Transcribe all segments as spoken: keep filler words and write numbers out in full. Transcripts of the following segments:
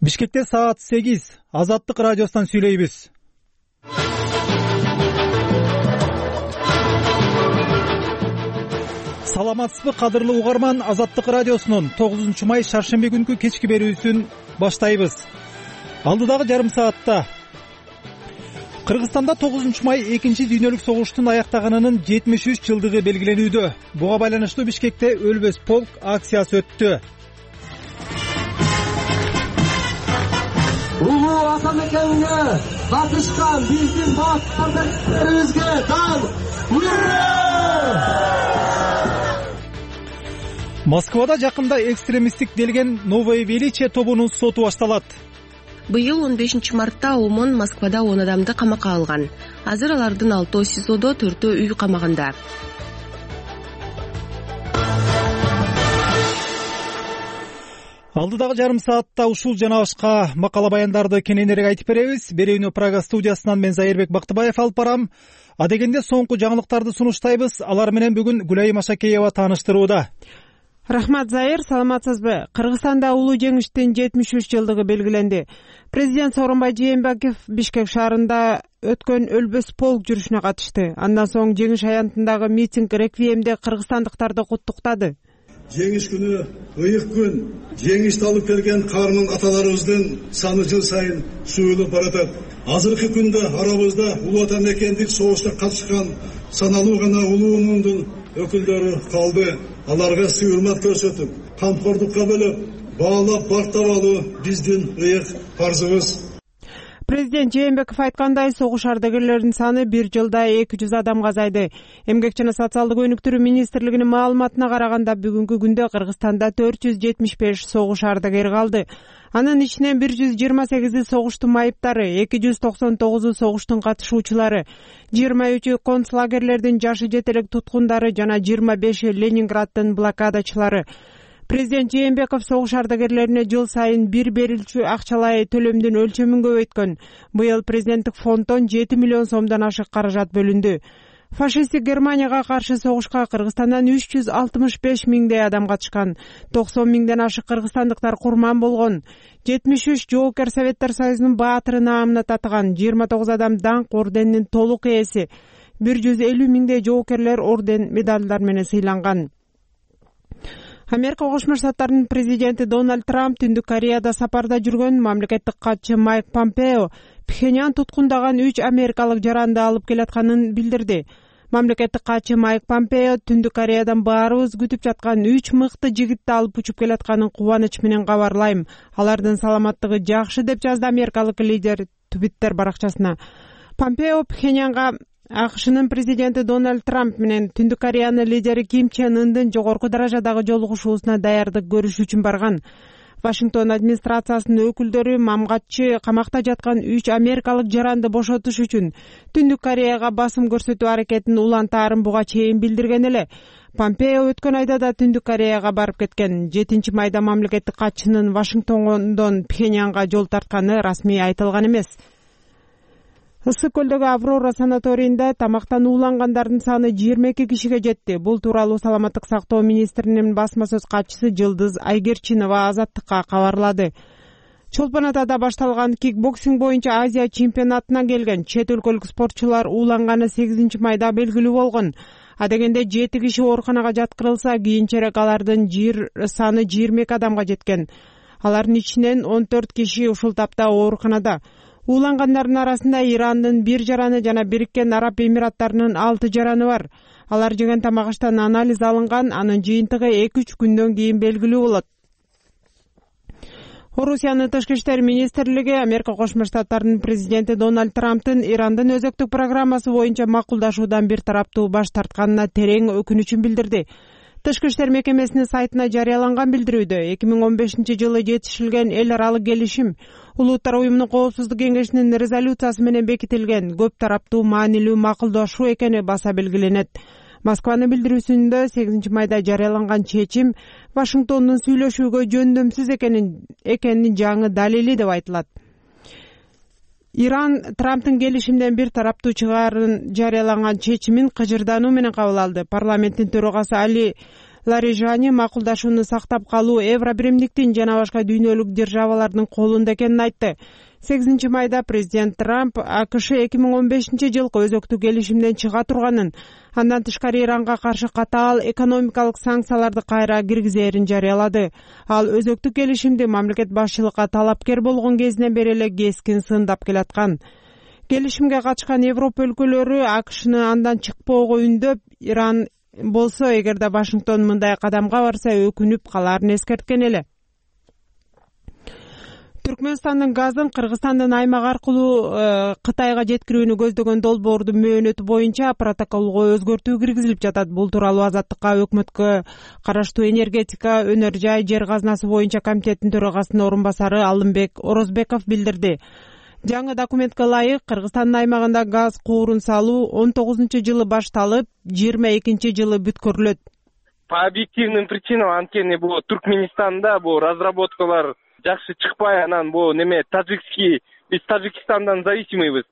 Бишкекте саат сегиз. Азаттык радиосунан сүйлөйбүз. Саламатсызбы кадырлуу угарман, Азаттык радиосунун тогузунчу май шаршемби күнкү кечки берүүсүн баштайбыз. Алдыдагы жарым саатта Кыргызстанда тогузунчу май экинчи дүйнөлүк согуштун аяктаганынын жетимиш үч жылдыгы белгиленүүдө. Буга байланыштуу Бишкекте өлбөс полк акциясы өттү. Улуу ата мекенине катышкан биздин баатырыбызга дан Москвада жакында экстремисттик делген Новое Величие тобунун соту башталат. Быйыл он бешинчи мартта ОМОН Москвада он адамды камакка алган. Азыр алардын алтөө СИЗОдо, төртөө үй камагында. Алдыдагы жарым саатта ушул жана башка макала баяндарды кененирээк айтып беребиз. Берүүнү Прага студиясынан мен Зайырбек Бактыбаев алып барам. Адегенде соңку жаңылыктарды сунуштайбыз. Алар менен бүгүн Гүлайым Ашакеева тааныштырууда. Рахмат, Зайыр, саламатсызбы? Кыргызстанда улуу жеңиштин жетимиш үч жылдыгы белгиленди. Президент Сооронбай Жээнбеков Бишкек шаарында өткөн өлбөс полк жүрүшүнө катышты. Андан соң жеңиш аянтындагы митинг реквиемде кыргызстандыктарды куттуктады. Жеңиш күнү ыйык күн. Жеңишти алып келген каарман аталарыбыздын саны жыл сайын сүйүлүп баратат. Азыркы күндө арабызда улуу ата мекендик согушта катышкан саналуу гана улуу муңдун өкүлдөрү калды. Аларга сый урмат көрсөтүп, камкордукка бөлөп, баалап бактап алуу биздин ыйык парзыбыз. Президент Жээнбеков айткандай, согуш ардагерлеринин саны бир жылда эки жүз адамга азайды. Эмгек жана социалдык өнүктүрүү министрлигинин маалыматына караганда, бүгүнкү күндө Кыргызстанда төрт жүз жетимиш беш согуш ардагери калды. Анын ичинен бир жүз жыйырма сегизи согуштун майыптары, эки жүз токсон тогузу согуштун катышуучулары, жыйырма үчү концлагерлердин жашы жете элек туткундары жана жыйырма беши Ленинграддын блокадачылары. Президент Жээнбеков согуш ардагерлерине жыл сайын бир берилчү акчалай төлөмдүн өлчөмүн көбөйткөн. Быйыл президенттик фонддон жети миллион сомдон ашык каражат бөлүндү. Фашисттик Германияга каршы согушка Кыргызстандан үч жүз алтымыш беш миңдей адам катышкан. токсон миңден ашык кыргызстандыктар курман болгон. жетимиш үч жоокер Советтер Союзунун баатыры наамына татыган. жыйырма тогуз адам даңк орденинин толук ээси. бир жүз элүү миңдей жоокерлер орден медалдар менен сыйланган. Америка Кошмо Штаттарынын президенти Дональд Трамп Түндүк Кореяда сапарда жүргөн мамлекеттик катчы Майк Помпео Пхеньян туткундаган үч америкалык жаранды алып келатканын билдирди. Мамлекеттик катчы Майк Помпео Түндүк Кореядан баарыбыз күтүп жаткан үч мыкты жигитти алып учуп келатканын кубаныч менен кабарлайм. Алардын саламаттыгы жакшы, деп жазды америкалык лидер Твиттер баракчасына. Помпео Пхеньянга АКШнын президенти Дональд Трамп менен Түндүк Кореянын лидери Ким Чен Ындын жогорку даражадагы жолугушуусуна даярдык көрүш үчүн барган. Вашингтон администрациясынын өкүлдөрү мамгатчы камакта жаткан үч америкалык жаранды бошотуш үчүн Түндүк Кореяга басым көрсөтүү аракетин улантаарын буга чейин билдирген эле. Помпео өткөн айда да Түндүк Кореяга барып кеткен. жетинчи майда мамлекеттик катчынын Вашингтондон Пхеньянга жол тартканы расмий айтылган эмес. Ысык көлдөгү Аврора санаторийинде тамактан уулангандардын саны жыйырма эки кишиге жетти. Бул тууралуу саламаттык сактоо министринин басма сөз катчысы Жылдыз Айгерчинова Азаттыкка кабарлады. Чолпон Атада башталган кикбоксинг боюнча Азия чемпионатына келген чет өлкөлүк спортчулар ууланганы сегизинчи майда белгилүү болгон. Адегенде жети киши ооруканага жаткырылса, кийинчерээк алардын жир саны жыйырма эки адамга жеткен. Алардын ичинен он төрт киши ушул тапта ооруканада. Уулангандардын арасында Ирандын бир жараны жана Бириккен Араб Эмираттарынын алты жараны бар. Алар жеген тамак аштан анализ алынган, анын жыйынтыгы эки үч күндөн кийин белгилүү болот. Орусиянын тышкы иштер министрлиги Америка Кошмо Штаттарынын президенти Дональд Трамптын Ирандын өзөктүк программасы боюнча макулдашуудан бир тараптуу баш тартканына терең өкүнүчүн билдирди. Тышкы иштер мекемесинин сайтына жарыяланган билдирүүдө эки миң он бешинчи жылы жетишилген эл аралык келишим Улуттар уюмунун коопсуздук кеңешинин резолюциясы менен бекитилген көп тараптуу маанилүү макулдашуу экени баса белгиленет. Москванын билдирүүсүндө сегизинчи майда жарыяланган чечим Вашингтондун сүйлөшүүгө жөндөмсүз экенин экенин жаңы далили деп айтылат. Иран Трамптын келишимден бир тараптуу чыгаарын жарыялаган чечимин кыжырдануу менен кабыл алды. Парламенттин төрагасы Али Ларижани макулдашууну сактап калуу Евробиримдиктин жана башка дүйнөлүк державалардын колунда экенин айтты. сегизинчи майда президент Трамп АКШ эки миң он бешинчи жылкы өзөктүк келишимден чыга турганын, андан тышкары Иранга каршы катаал экономикалык санкцияларды кайра киргизээрин жарыялады. Ал өзөктүк келишимди мамлекет башчылыкка талапкер болгон кезинен бери эле кескин сындап келаткан. Келишимге катышкан Европа өлкөлөрү АКШны андан чыкпоого үндөп, Иран болсо эгерде Вашингтон мындай кадамга барса өкүнүп калаарын эскерткен эле. Түркмөнстандын газын Кыргызстандын аймак аркылуу Кытайга жеткирүүнү көздөгөн долбоордун мөөнөтү боюнча протоколго өзгөртүү киргизилип жатат. Бул тууралуу Азаттыкка өкмөткө караштуу энергетика, өнөр жай, жер казынасы боюнча комитеттин төрагасынын орун басары Алымбек Орозбеков билдирди. Жаңы документке ылайык Кыргызстандын аймагында газ куурун салуу он тогузунчу жылы башталып, жыйырма экинчи жылы бүткөрүлөт. По объективным причинам анткени бул Түркменистанда бул разработкалар жакшы чыкпай, анан бул неме тажикский, биз Тажикстандан зависимыйбыз.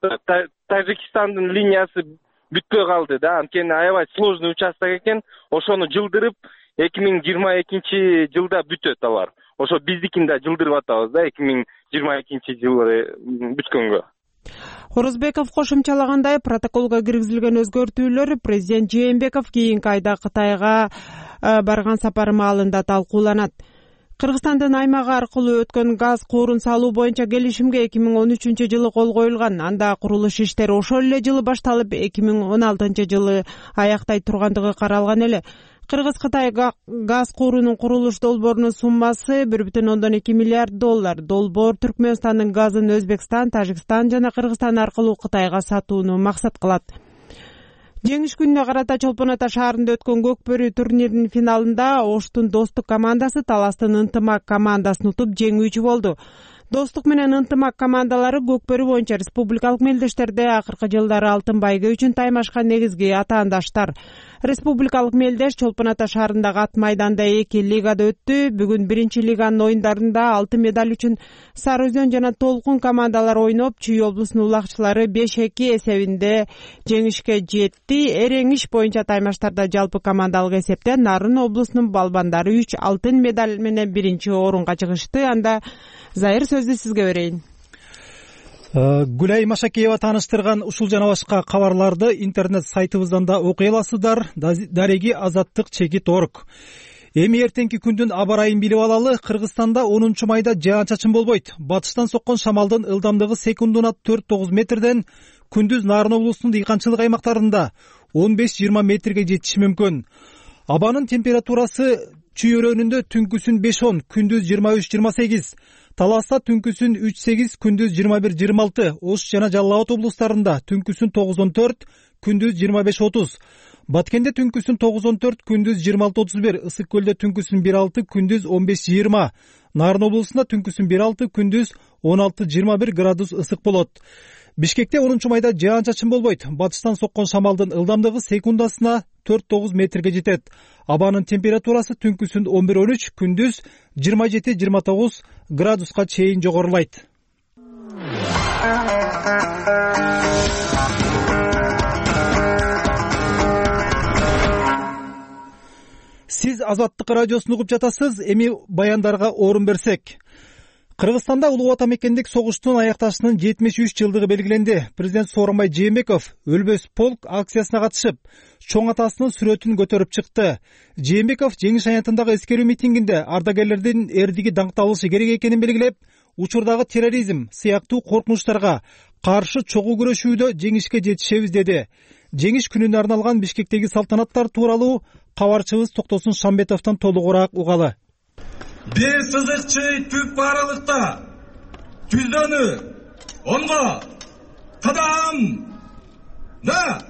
Тажикстандын линиясы бүтпөй калды да, анткени аябай сложный участок экен. Ошону жылдырып эки миң жыйырма экинчи жылда бүтөт алар. Ошо биздикин да жылдырып атабыз да эки миң жыйырма экинчи жылы бүткөнгө. Орозбеков кошумчалагандай, протоколго киргизилген өзгөртүүлөр президент Жээнбеков кийинки айда Кытайга барган сапары маалында талкууланат. Кыргызстандын аймагы аркылуу өткөн газ куурун салуу боюнча келишимге эки миң он үчүнчү жылы кол коюлган. Анда курулуш иштери ошол эле жылы башталып, эки миң он алтынчы жылы аяктай тургандыгы каралган эле. Кыргыз-Кытай газ куурунун курулуш долбоорунун суммасы бир бүтүн ондон эки миллиард доллар. Долбоор Түркмөнстандын газын Өзбекстан, Тажикстан жана Кыргызстан аркылуу Кытайга сатууну максат кылат. Жеңиш күнүнө карата Чолпон Ата шаарында өткөн Көкбөрү турниринин финалында Оштун Достук командасы Таластын Ынтымак командасын утуп жеңүүчү болду. Достук менен Ынтымак командалары Көкбөрү боюнча республикалык мелдештерде акыркы жылдары алтын байга үчүн таймашкан негизги атаандаштар. Республикалык мелдеш Чолпон Ата шаарындагы ат майданда эки лигада өттү. Бүгүн биринчи лиганын оюндарында алтын медаль үчүн Сары Өзөн жана Толкун командалары ойноп, Чүй облусунун улакчылары беш эки эсебинде жеңишке жетти. Эреңиш боюнча таймаштарда жалпы командалык эсепте Нарын облусунун балбандары үч алтын медаль менен биринчи орунга чыгышты. Анда Зайыр сөздү сизге берейин. Гүлай Машакеева тааныштырган ушул жана башка кабарларды интернет сайтыбыздан да окуй аласыздар. Дареги азаттык чекит точка орг. Эми эртеңки күндүн аба ырайын билип алалы. Кыргызстанда онунчу майда жаан-чачын болбойт. Батыштан соккон шамалдын ылдамдыгы секундуна төрт тогуз метрден, күндүз Нарын облусунун дыйканчылык аймактарында он беш жыйырма метрге жетиши мүмкүн. Абанын температурасы Чүй өрөөнүндө түнкүсүн беш он, күндүз жыйырма үч жыйырма сегиз. Таласта түнкүсүн үч сегиз, күндүз жыйырма бир жыйырма алты. Ош жана Жалал Абад облустарында түнкүсүн тогуз он төрт, күндүз жыйырма беш отуз. Баткенде түнкүсүн тогуз он төрт, күндүз жыйырма алты отуз бир. Ысык көлдө түнкүсүн бир алты, күндүз он беш жыйырма. Нарын облусунда түнкүсүн бир алты, күндүз он алты жыйырма бир градус ысык болот. Бишкекте онунчу майда жаан-чачын болбойт. Батыштан соккон шамалдын ылдамдыгы секундасына төрт тогуз метрге жетет. Абанын температурасы түнкүсүн он бир он үч, күндүз жыйырма жети жыйырма тогуз градуска чейин жогорулайт. Сиз Азаттык радиосун угуп жатасыз. Эми баяндарга орун берсек. Кыргызстанда улуу ватан мекендик согуштун аякташынын жетимиш үч жылдыгы белгиленди. Президент Сооронбай Жээнбеков Өлбөс полк акциясына катышып, чоң атасынын сүрөтүн көтөрүп чыкты. Жээнбеков жеңиш аянтындагы эскерүү митингинде ардагерлердин эрдиги даңкталышы керек экенин белгилеп, учурдагы терроризм сыяктуу коркунучтарга каршы чогуу күрөшүүдө жеңишке жетишебиз деди. Жеңиш күнүнө арналган Бишкектеги салтанаттар тууралуу кабарчыбыз Токтосун Шамбетовдон толугураак угалы. Бир сызыкчы түп барылыкта түздөнү онго кадам да.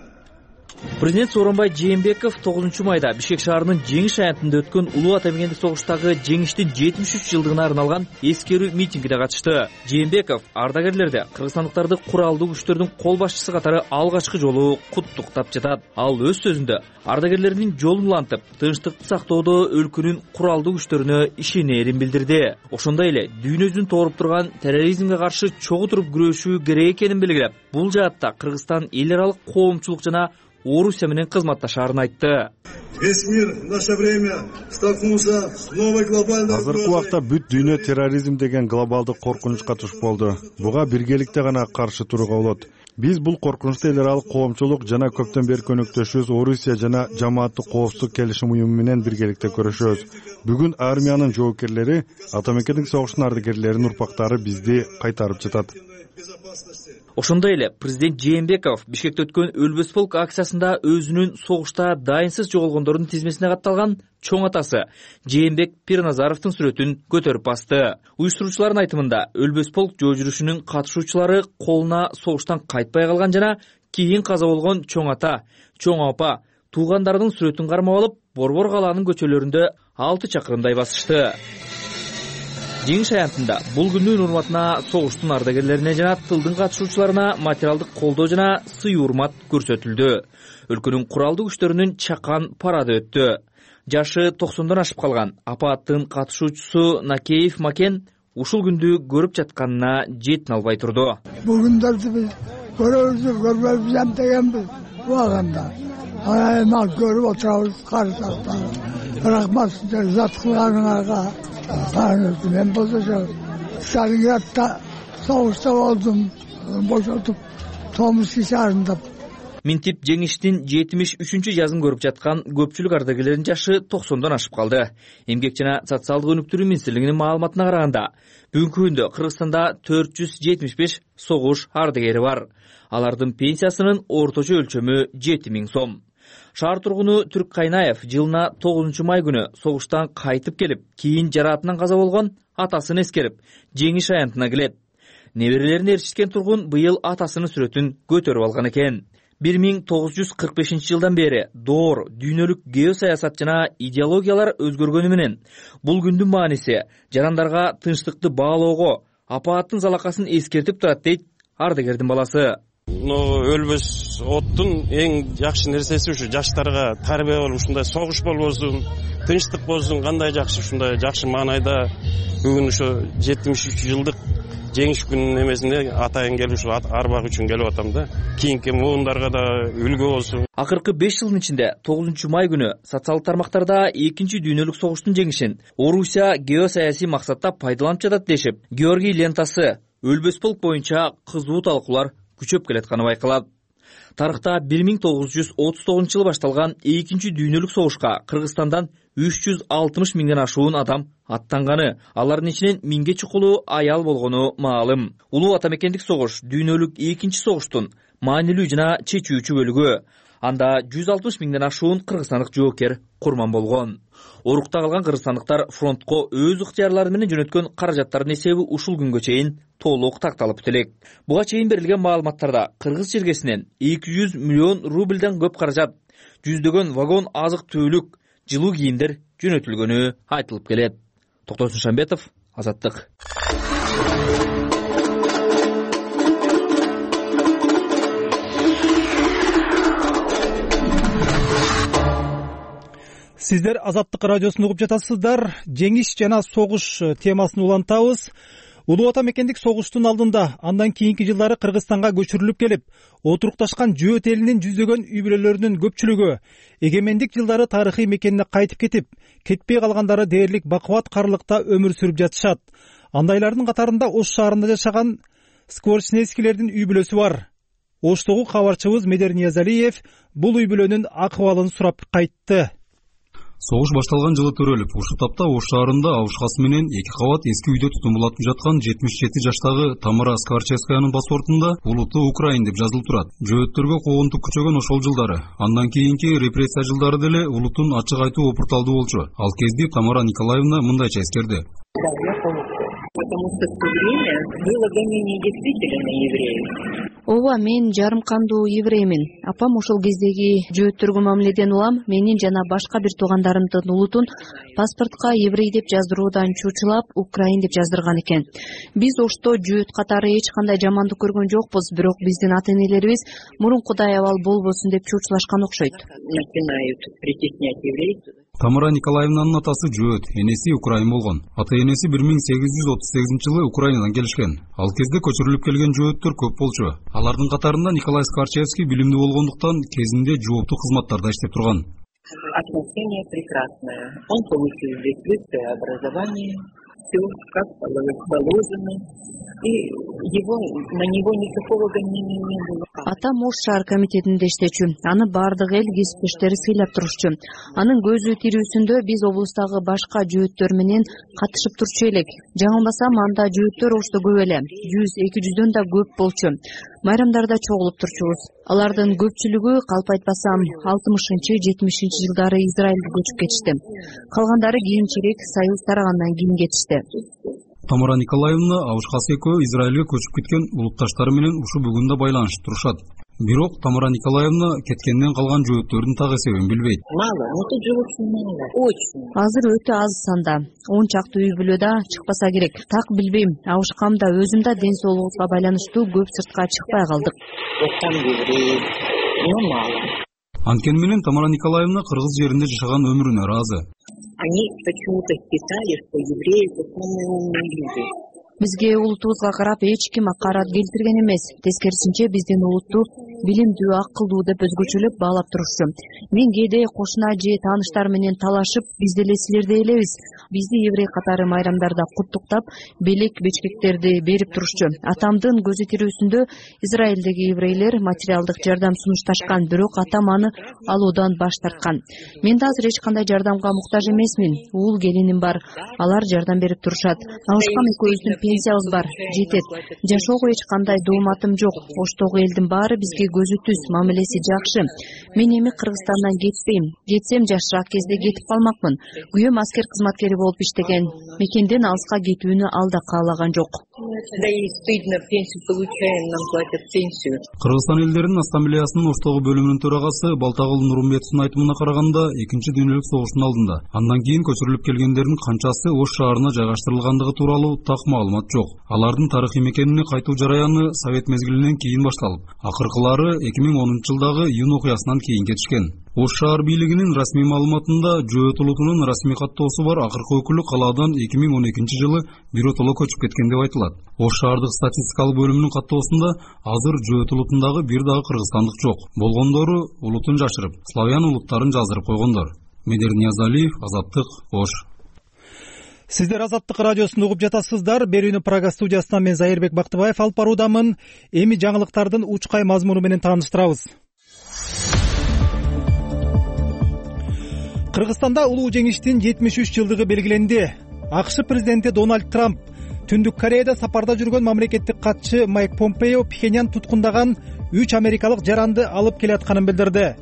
Президент Сооронбай Жээнбеков тогузунчу майда Бишкек шаарынын Жеңиш аянтында өткөн улуу ватан мекендик согуштагы жеңиштин жетимиш үч жылдыгына арналган эскерүү митингине катышты. Жээнбеков ардагерлерди кыргызстандыктарды куралдуу күчтөрдүн кол башчысы катары алгачкы жолу куттуктап жатат. Ал өз сөзүндө ардагерлердин жолун улантып, тынчтыкты сактоодо өлкөнүн куралдуу күчтөрүнө ишенерин билдирди. Ошондой эле дүйнө жүзүн тооруп турган терроризмге каршы чогуу туруп күрөшүү керек экенин белгилеп, бул жаатта Кыргызстан эл аралык коомчулук жана Орусия менен кызматташаарын айтты. Весь мир в наше время столкнулся с новой глобальной угрозой. Азыркы убакта бүт дүйнө терроризм деген глобалдык коркунучка туш болду. Буга биргеликте гана каршы турууга болот. Биз бул коркунучту эл аралык коомчулук жана көптөн бери өнөктөшүбүз Орусия жана жамааттык коопсуздук келишим уюму менен биргеликте көрүшөбүз. Бүгүн армиянын жоокерлери, ата мекендик согуштун ардагерлеринин урпактары бизди кайтарып жатат. Ошондой эле президент Жээнбеков Бишкекте өткөн Өлбөс полк акциясында өзүнүн согушта дайынсыз жоголгондордун тизмесине катталган чоң атасы Жээнбек Пирназаровдун сүрөтүн көтөрүп басты. Уюштуруучулардын айтымында Өлбөс полк жөө жүрүшүнүн катышуучулары колуна согуштан кайтпай калган жана кийин каза болгон чоң ата, чоң апа, туугандардын сүрөтүн кармап алып, Борбор калаанын көчөлөрүндө алты чакырымдай басышты. Жеңиш аянтында бул күндүн урматына согуштун ардагерлерине жана тылдын катышуучуларына материалдык колдоо жана сый урмат көрсөтүлдү. Өлкөнүн куралдуу күчтөрүнүн чакан парады өттү. Жашы токсондон ашып калган апааттын катышуучусу Накеев Макен ушул күндү көрүп жатканына жетин албай турду. Бүгүндөрдү биз көрөбүз, көрбөйбүз дегенбиз убагында. Айма көрүп отурабыз каршылыкта. Рахмат сиздерге зат кылганыңарга. Мен болсо Сталинградда согушта болдум, бошотуп Томский шаарында. Минтип жеңиштин жетимиш үчүнчү жазын көрүп жаткан көпчүлүк ардагерлердин жашы токсондон ашып калды. Эмгек жана социалдык өнүктүрүү министрлигинин маалыматына караганда, бүгүнкү күндө Кыргызстанда төрт жүз жетимиш беш согуш ардагери бар. Алардын пенсиясынын орточо өлчөмү жети миң сом. Шаар тургуну Түрк Кайнаев жылына тогузунчу май күнү согуштан кайтып келип, кийин жараатынан каза болгон атасын эскерип, жеңиш аянтына келет. Неберелерин ээрчиткен тургун быйыл атасынын сүрөтүн көтөрүп алган экен. бир миң тогуз жүз кырк бешинчи жылдан бери доор, дүйнөлүк геосаясат жана идеологиялар өзгөргөнү менен бул күндүн мааниси жарандарга тынчтыкты баалоого, апааттын залакасын эскертип турат дейт ардагердин баласы. Өлбөс оттун эң жакшы нерсеси ушу жаштарга тарбия болуп ушундай согуш болбосун, тынчтык болсун, кандай жакшы ушундай жакшы маанайда бүгүн ошо жетимиш үч жылдык жеңиш күнүнүн эмесине атайын келип ушу арбак үчүн келип атам да. Кийинки муундарга да үлгү болсун. Акыркы беш жылдын ичинде тогузунчу май күнү социалдык тармактарда экинчи дүйнөлүк согуштун жеңишин Орусия геосаясий максатта пайдаланып жатат дешип, Георгий лентасы Өлбөс полк боюнча кызуу талкуулар күчөп келатканы байкалат. Тарыхта бир миң тогуз жүз отуз тогузунчу жылы башталган экинчи дүйнөлүк согушка Кыргызстандан үч жүз алтымыш миңден ашуун адам аттанганы, алардын ичинен миңге чукулу аял болгону маалым. Улуу ата мекендик согуш дүйнөлүк экинчи согуштун маанилүү жана чечүүчү бөлүгү. Анда жүз алтымыш миңден ашуун кыргызстандык жоокер курман болгон. Орукта калган кыргызстандыктар фронтко өз ыктыярлары менен жөнөткөн каражаттардын эсеби ушул күнгө чейин толук такталып элек. Буга чейин берилген маалыматтарда кыргыз жергесинен эки жүз миллион рубльден көп каражат, жүздөгөн вагон азык-түлүк, жылуу кийимдер жөнөтүлгөнү айтылып келет. Токтосун Шамбетов, Азаттык. Сиздер Азаттык радиосун угуп жатасыздар. Жеңиш жана согуш темасын улантабыз. Улуу ата мекендик согуштун алдында андан кийинки жылдары Кыргызстанга көчүрүлүп келип, отурукташкан жөөт элинин жүздөгөн үй бүлөлөрүнүн көпчүлүгү эгемендик жылдары тарыхый мекенине кайтып кетип, кетпей калгандары дээрлик бакубат карлыкта өмүр сүрүп жатышат. Андайлардын катарында Ош шаарында жашаган Скворечневскийлердин үй бүлөсү бар. Оштогу кабарчыбыз Медер Ниязалиев бул үй бүлөнүн акыбалын сурап кайтты. Согуш башталган жылы төрөлүп, ушул тапта Ош шаарында абышкасы менен эки кабат эски үйдө тутумулатып жаткан жетимиш жети жаштагы Тамара Скворчевскаянын паспортунда улуттуу Украин деп жазылып турат. Жөөттөргө куугунтук күчөгөн ошол жылдары. Андан кийинки репрессия жылдары деле улуттун ачык айтуу опурталдуу болчу. Ал кезде Тамара Николаевна мындайча эскерди. Потому что в то время было гонение действительно на евреев. Ооба, мен жарым кандуу евреймин. Апам ошол кездеги жөөттөргө мамиледен улам менин жана башка бир туугандарымдын улутун паспортко еврей деп жаздыруудан чучулап, Украин деп жаздырган экен. Биз Ошто жөөт катары эч кандай жамандык көргөн жокпуз, бирок биздин ата-энелерибиз мурункудай абал болбосун деп чучулашкан окшойт. Начинают притеснять еврейцев. Тамара Николаевнанын атасы Жөөт, энеси украин болгон. Ата энеси бир миң сегиз жүз отуз сегизинчи жылы Украинадан келишкен. Ал кезде көчүрүлүп келген жөөттөр көп болчу. Алардын катарында Николай Скворчевский билимдүү болгондуктан кезинде жооптуу кызматтарда иштеп турган. Отношение прекрасное. Он получил здесь высшее образование, все как положено. И его, на него никакого гонения не было. Атам Ош шаар комитетинде иштечү. Аны бардык эл кесиптештери сыйлап турушчу. Анын көзү тирүүсүндө биз облустагы башка жөөттөр менен катышып турчу элек. Жаңылбасам, анда жөөттөр Ошто көп эле. жүз эки жүздөн да көп болчу. Майрамдарда чогулуп турчубуз. Алардын көпчүлүгү, калп айтпасам, алтымышынчы жетимишинчи жылдары Израилге көчүп кетишти. Калгандары кийинчерээк Союз тарагандан кийин кетишти. Тамара Николаевна Авушкасы экөө Израилге көчүп кеткен улутташтары менен ушу бүгүн да байланышып турушат. Бирок Тамара Николаевна кеткенден калган жөөттөрдүн так эсебин билбейт. Мало, но тут живут мало, очень. Азыр өтө аз санда. он чакты үй бүлө да чыкпаса керек. Так билбейм. Авушкам да, өзүм да ден соолугубузга байланыштуу көп сыртка чыкпай калдык. Там евреи, но мало. Анткени менен Тамара Николаевна кыргыз жеринде жашаган өмүрүнө ыраазы. Они почему-то считали, что евреи самые умные люди. Бизге улутубузга карап эч ким акарат келтирген эмес. Тескерисинче биздин улутту билимдүү, акылдуу деп өзгөчөлөп баалап турушчу. Мен кээде кошуна же тааныштар менен талашып, биз деле силердей элебиз. Бизди еврей катары майрамдарда куттуктап, белек бечкектерди берип турушчу. Атамдын көзү тирүүсүндө Израилдеги еврейлер материалдык жардам сунушташкан, бирок атам аны алуудан баш тарткан. Мен да азыр эч кандай жардамга муктаж эмесмин. Уул келиним бар, алар жардам берип турушат. Авушкам экөөбүздүн пенсиябыз бар, жетет. Жашоого эч кандай дооматым жок. Оштогу элдин баары бизге көзү түз, мамилеси жакшы. Мен эми Кыргызстандан кетпейм. Кетсем жашыраак кезде кетип калмакмын. Күйөөм аскер кызматкери болуп иштеген. Мекенден алыска кетүүнү ал да каалаган жок. Да и стыдно, пенсию получаем, нам платят пенсию. Кыргызстан элдеринин ассамблеясынын Оштогу бөлүмүнүн төрагасы Балтагул Нурумбетовдун айтымына караганда, экинчи дүйнөлүк согуштун алдында андан кийин көчүрүлүп келгендердин канчасы Ош шаарына жайгаштырылгандыгы тууралуу так маалымат жок. Алардын тарыхый мекенине кайтуу жараяны Совет мезгилинен кийин башталып, акыркылары эки миң онунчу жылдагы июнь окуясынан кийин кетишкен. Ош шаар бийлигинин расмий маалыматында Жөөт улутунун расмий каттоосу бар акыркы өкүлү калаадан эки миң он экинчи жылы биротоло көчүп кеткен деп айтылат. Ош шаардык статистикалык бөлүмүнүн каттоосунда азыр Жөөт улутундагы бир дагы кыргызстандык жок. Болгондору улутун жашырып, славян улуттарын жаздырып койгондор. Медер Ниязалиев, Азаттык, Ош. Сиздер Азаттык радиосун угуп жатасыздар. Берүүнү Прага студиясынан мен Зайырбек Бактыбаев алып баруудамын. Эми жаңылыктардын учкай мазмуну менен тааныштырабыз. Кыргызстанда улуу жеңиштин жетимиш үч жылдыгы белгиленди. АКШ президенти Дональд Трамп Түндүк Кореяда сапарда жүргөн мамлекеттик катчы Майк Помпео Пхеньян туткундаган үч америкалык жаранды алып келатканын билдирди.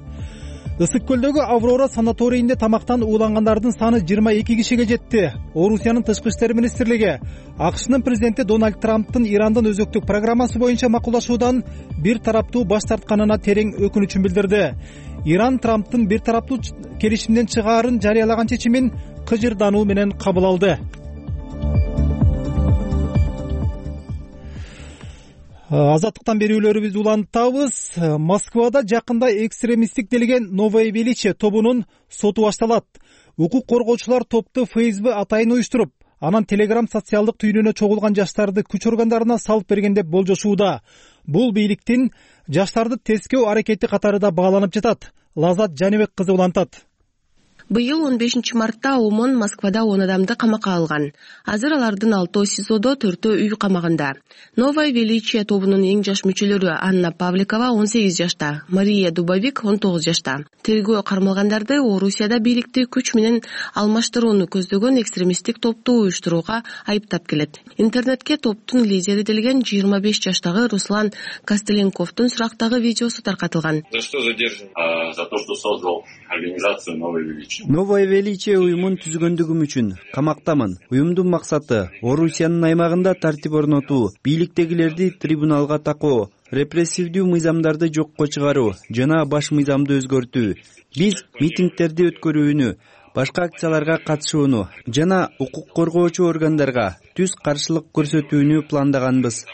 Ысык көлдөгү Аврора санаторийинде тамактан уулангандардын саны жыйырма эки кишиге жетти. Орусиянын тышкы иштер министрлиги АКШнын президенти Дональд Трамптын Ирандын өзөктүк программасы боюнча макулдашуудан бир тараптуу баш тартканына терең өкүнүчүн билдирди. Иран Трамптын бир тараптуу келишимден чыгаарын жарыялаган чечимин кыжырдануу менен кабыл алды. Азаттыктан берүүлөрүбүздү улантабыз. Москвада жакында экстремисттик делген Новое Величие тобунун соту башталат. Укук коргоочулар топту ФСБ атайын уюштуруп, анан Telegram социалдык түйүнүнө чогулган жаштарды күч органдарына салып берген деп болжошууда. Бул бийликтин жаштарды тескөө аракети катары да бааланып жатат. Лазат Жаныбек кызы улантат. Быйыл он бешинчи мартта ОМОН Москвада он адамды камакка алган. Азыр алардын алтоо СИЗОдо, төртөө үй камагында. Новое Величие тобунун эң жаш мүчөлөрү Анна Павликова он сегиз жашта, Мария Дубовик он тогуз жашта. Тергөө кармалгандарды Орусияда бийликти күч менен алмаштырууну көздөгөн экстремисттик топту уюштурууга айыптап келет. Интернетке топтун лидери делген жыйырма беш жаштагы Руслан Костеленковдун сурактагы видеосу таркатылган. За что задержан? За то, что создал организацию Новое Величие. Новое Величие уюмун түзгөндүгүм үчүн камактамын. Уюмдун максаты Орусиянын аймагында тартип орнотуу, бийликтегилерди трибуналга такоо, репрессивдүү мыйзамдарды жокко чыгаруу жана баш мыйзамды өзгөртүү. Биз митингдерди өткөрүүнү, башка акцияларга катышууну жана укук коргоочу органдарга түз каршылык көрсөтүүнү пландаганбыз.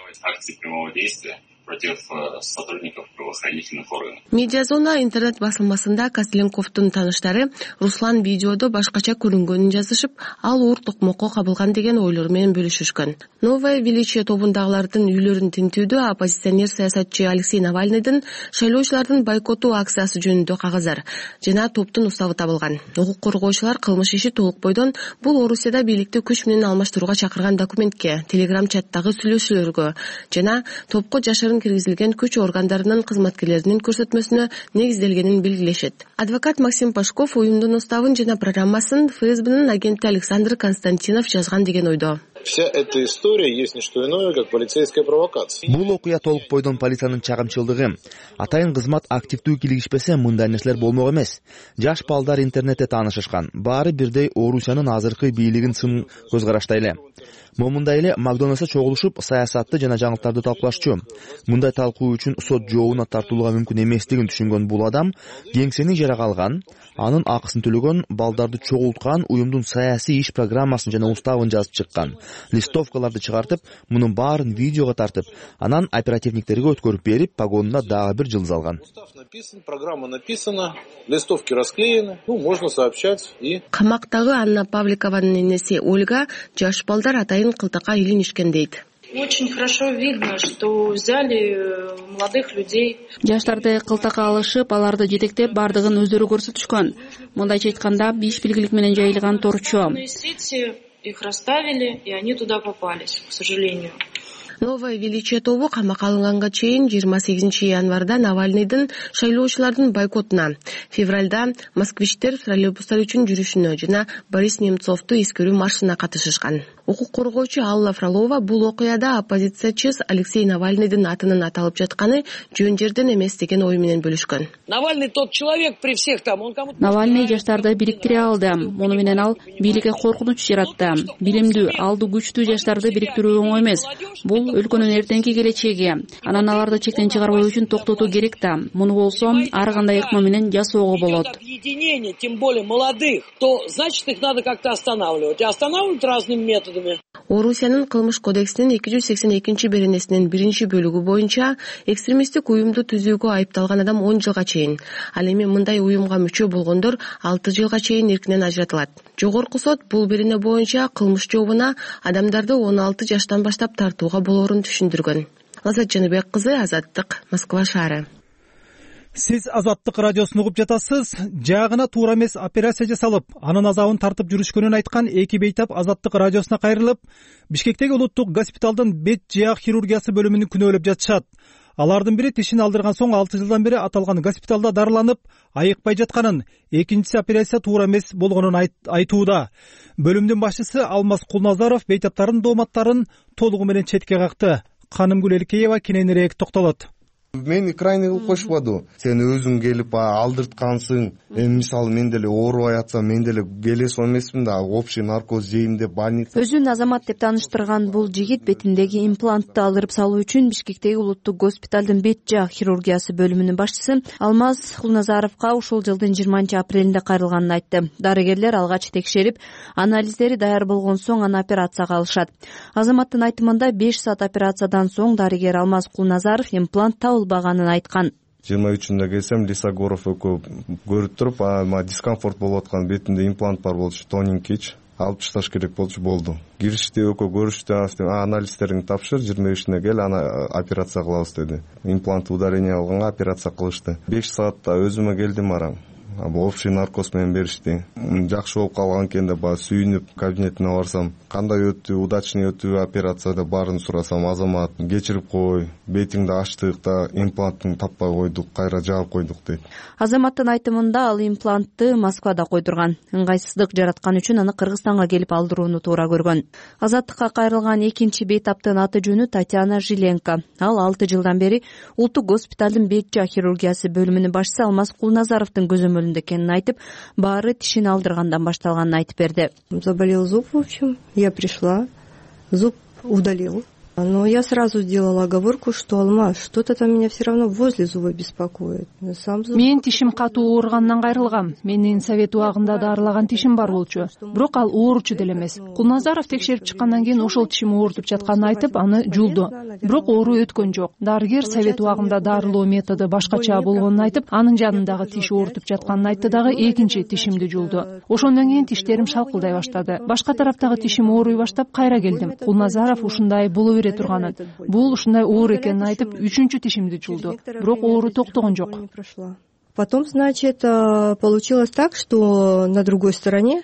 против сотрудников правоохранительных органов. Медиа зона интернет басылмасында Костеленковдун таныштары Руслан видеодо башкача көрүнгөнүн жазышып, ал оор токмокко кабылган деген ойлору менен бөлүшүшкөн. Новое величие тобундагылардын үйлөрүн тинтүүдө оппозиционер саясатчы Алексей Навальныйдын шайлоочулардын бойкоту акциясы жөнүндө кагаздар жана топтун уставы табылган. Укук коргоочулар кылмыш иши толук бойдон бул Орусияда бийликти күч менен алмаштырууга чакырган документке, телеграм чаттагы сүйлөшүүлөргө жана топко жашырын киргизилген күч органдарынын кызматкерлеринин көрсөтмөсүнө негизделгенин белгилешет. Адвокат Максим Пашков уюмдун уставын жана программасын ФСБнын агенти Александр Константинов жазган деген ойдо. Вся эта история есть не что иное, как полицейская провокация. Бул окуя толук бойдон полициянын чагымчылдыгы. Атайын кызмат активдүү килигишпесе мындай нерселер болмок эмес. Жаш балдар интернетте таанышышкан. Баары бирдей Орусиянын азыркы бийлигин сын көз караштай эле. Момундай эле Макдональдсда чогулушуп, саясатты жана жаңылыктарды талкуулашчу. Мындай талкуу үчүн сот жообуна тартуулууга мүмкүн эместигин түшүнгөн бул адам кеңсени ижарага алган, анын акысын төлөгөн, балдарды чогулткан, уюмдун саясий иш программасын жана уставын жазып чыккан. Листовкаларды чыгартып, мунун баарын видеого тартып, анан оперативниктерге өткөрүп берип, погонуна дагы бир жылдыз алган. Устав написан, программа написана, листовки расклеены, ну, можно сообщать и... Камактагы Анна Павликованын энеси Ольга жаш балдар атайын кылтакка илинишкен дейт. Очень хорошо видно, что взяли молодых людей. Жаштарды кылтакка алышып, аларды жетектеп, бардыгын өздөрү көрсөтүшкөн. Мындайча айтканда, беш белгилик менен жайылган торчо. Их расставили, и они туда попались, к сожалению. Новое величие тобу камакка алынганга чейин жыйырма сегизинчи январда Навальныйдын шайлоочулардын бойкотуна, февралда москвичтер троллейбустар үчүн жүрүшүнө жана Борис Немцовду эскерүү маршына катышышкан. Укук коргоочу Алла Фролова бул окуяда оппозициячы Алексей Навальныйдын атынын аталып жатканы жөн жерден эмес деген ой менен бөлүшкөн. Навальный тот человек при всех там, он кому-то... Навальный жаштарды бириктире алды. Муну менен ал бийликке коркунуч жаратты. Билимдүү, алды күчтүү жаштарды бириктирүү оңой эмес. Бул өлкөнүн эртеңки келечеги. Анан аларды чектен чыгарбоо үчүн токтотуу керек да. Муну болсо ар кандай ыкма менен жасоого болот. Объединение, тем более молодых, то значит их надо как-то останавливать. И останавливать разными методами. Орусиянын кылмыш кодексинин эки жүз сексен экинчи беренесинин биринчи бөлүгү боюнча экстремисттик уюмду түзүүгө айыпталган адам он жылга чейин, ал эми мындай уюмга мүчө болгондор алты жылга чейин эркинен ажыратылат. Жогорку сот бул берене боюнча кылмыш жообуна адамдарды он алты жаштан баштап тартууга болоорун түшүндүргөн. Лаззат Жаныбек кызы, Азаттык, Москва шаары. Сиз Азаттык радиосун угуп жатасыз. Жаагына туура эмес операция жасалып, анын азабын тартып жүрүшкөнүн айткан эки бейтап Азаттык радиосуна кайрылып, Бишкектеги улуттук госпиталдын бет жаак хирургиясы бөлүмүн күнөөлөп жатышат. Алардын бири тишин алдырган соң алты жылдан бери аталган госпиталда дарыланып, айыкпай жатканын, экинчиси операция туура эмес болгонун айтууда. Бөлүмдүн башчысы Алмаз Кулназаров бейтаптардын дооматтарын толугу менен четке какты. Канымгүл Элкеева кененирээк токтолот. Мени крайний кылып койшупаду. Сен өзүң келип алдырткансың. Эми мисалы мен деле оорубай атсам, мен деле келесип эмесмин да, общий наркоз жейм деп больница. Өзүн азамат деп тааныштырган бул жигит бетиндеги имплантты алдырып салуу үчүн Бишкектеги улуттук госпиталдын бет жаак хирургиясы бөлүмүнүн башчысы Алмаз Кулназаровго ушул жылдын жыйырманчы апрелинде кайрылганын айтты. Дарыгерлер алгач текшерип, анализдери даяр болгон соң аны операцияга алышат. Азаматтын айтымында беш саат операциядан соң дарыгер Алмаз Кулназаров имплант табылбаганын айткан. жыйырма үчүндө келсем Лисогоров экөө көрүп туруп, ама дискомфорт болуп аткан, бетинде имплант бар болчу, тоненький, алып ташташ керек болчу, болду. Киришти, экөө көрүштү, анализдериңди тапшыр, жыйырма бешине кел, аны операция кылабыз деди. Имплант ударение алганга операция кылышты. беш саатта өзүмө келдим арам. Общий наркоз менен беришти. Жакшы болуп калган экен деп сүйүнүп кабинетине барсам, кандай өттү, удачный өттү операцияда баарын сурасам, азамат кечирип кой, бетиңди ачтык да, имплантын таппай койдук, кайра жаап койдук дейт. Азаматтын айтымында ал имплантты Москвада койдурган. Ыңгайсыздык жараткан үчүн аны Кыргызстанга келип алдырууну туура көргөн. Азаттыкка кайрылган экинчи бейтаптын аты жөнү Татьяна Жиленко. Ал алты жылдан бери улуттук госпиталдын бет жаак хирургиясы бөлүмүнүн башчысы Алмаз Кулназаровдун көзөмөлүндө экенин айтып, баары тишин алдыргандан башталганын айтып берди. Заболел зуб, в общем. Я пришла, зуб удалил. Но я сразу сделала оговорку, что Алмаз, что-то там меня все равно возле зуба беспокоит. Мен тишим катуу ооругандан кайрылгам. Менин совет убагында дарылаган тишим бар болчу. Бирок ал ооручу деле эмес. Кулназаров текшерип чыккандан кийин ошол тишим оорутуп жатканын айтып, аны жулду. Бирок оору өткөн жок. Дарыгер совет убагында дарылоо методу башкача болгонун айтып, анын жанындагы тиш оорутуп жатканын айтты дагы экинчи тишимди жулду. Ошондон кийин тиштерим шалкылдай баштады. Башка тараптагы тишим ооруй баштап кайра келдим. Кулназаров ушундай боло бере турганын, бул ушундай оор экенин айтып, үчүнчү тишимди жулду. Бирок оору токтогон жок. Потом, значит, получилось так, что на другой стороне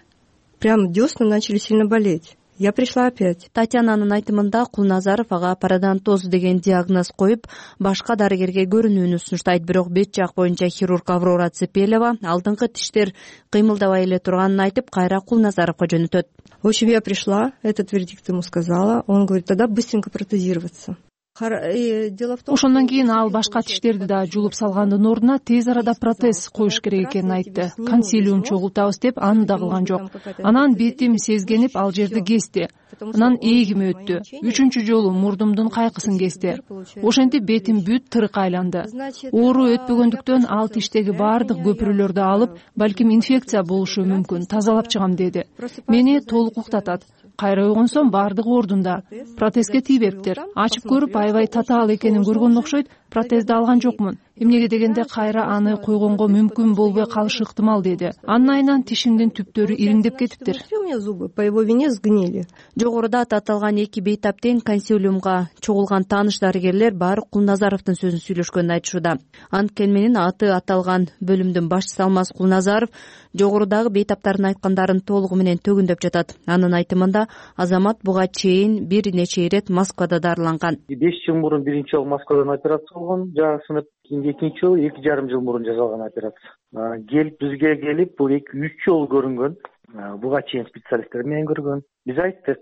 прям десны начали сильно болеть. Я пришла опять. Татьянанын айтымында Кулназаров ага пародонтоз деген диагноз коюп, башка дарыгерге көрүнүүнү сунуштайт. Бирок бет жак боюнча хирург Аврора Цепелева алдыңкы тиштер кыймылдабай эле турганын айтып, кайра Кулназаровго жөнөтөт. В общем, я пришла, этот вердикт ему сказала. Он говорит, тогда быстренько протезироваться. Ошондон кийин ал башка тиштерди да жулуп салгандын ордуна тез арада протез коюш керек экенин айтты. Консилиум чогултабыз деп аны да кылган жок. Анан бетим сезгенип ал жерди кести. Анан ээлим өттү. Үчүнчү жолу мурдумдун кайкысын кести. Ошентип бетим бүт тырык айланды. Оору өтпөгөндүктөн ал тиштеги баардык көпүрөлөрдү алып, балким инфекция болушу мүмкүн, тазалап чыгам деди. Мени толук уктатат. Кайра уйгунсом баардыгы ордунда. Протезге тийбептир. Ачып көрүп аябай татаал экенин көргөн окшойт. Протезди алган жокмун. Эмнеге дегенде кайра аны койгонго мүмкүн болбой калышы ыктымал деди. Анын айынан тишимдин түптөрү ириңдеп кетиптир. По его вине сгнили. Жогоруда аталган эки бейтап тең консилиумга чогулган тааныш дарыгерлер баары Кулназаровдун сөзүн сүйлөшкөнүн айтышууда. Анткени менен аты аталган бөлүмдүн башчысы Алмаз Кулназаров жогорудагы бейтаптардын айткандарын толугу менен төгүндөп жатат. Анын айтымында азамат буга чейин бир нече ирет Москвада дарыланган. беш жыл мурун биринчи жолу Москвадан операция болгон, жагы сынып. Кийинки экинчи жолу эки жарым жыл мурун жасалган операция. Келип бизге келип бул эки үч жолу көрүнгөн. Буга чейин специалисттер менен көргөн. Биз айттык,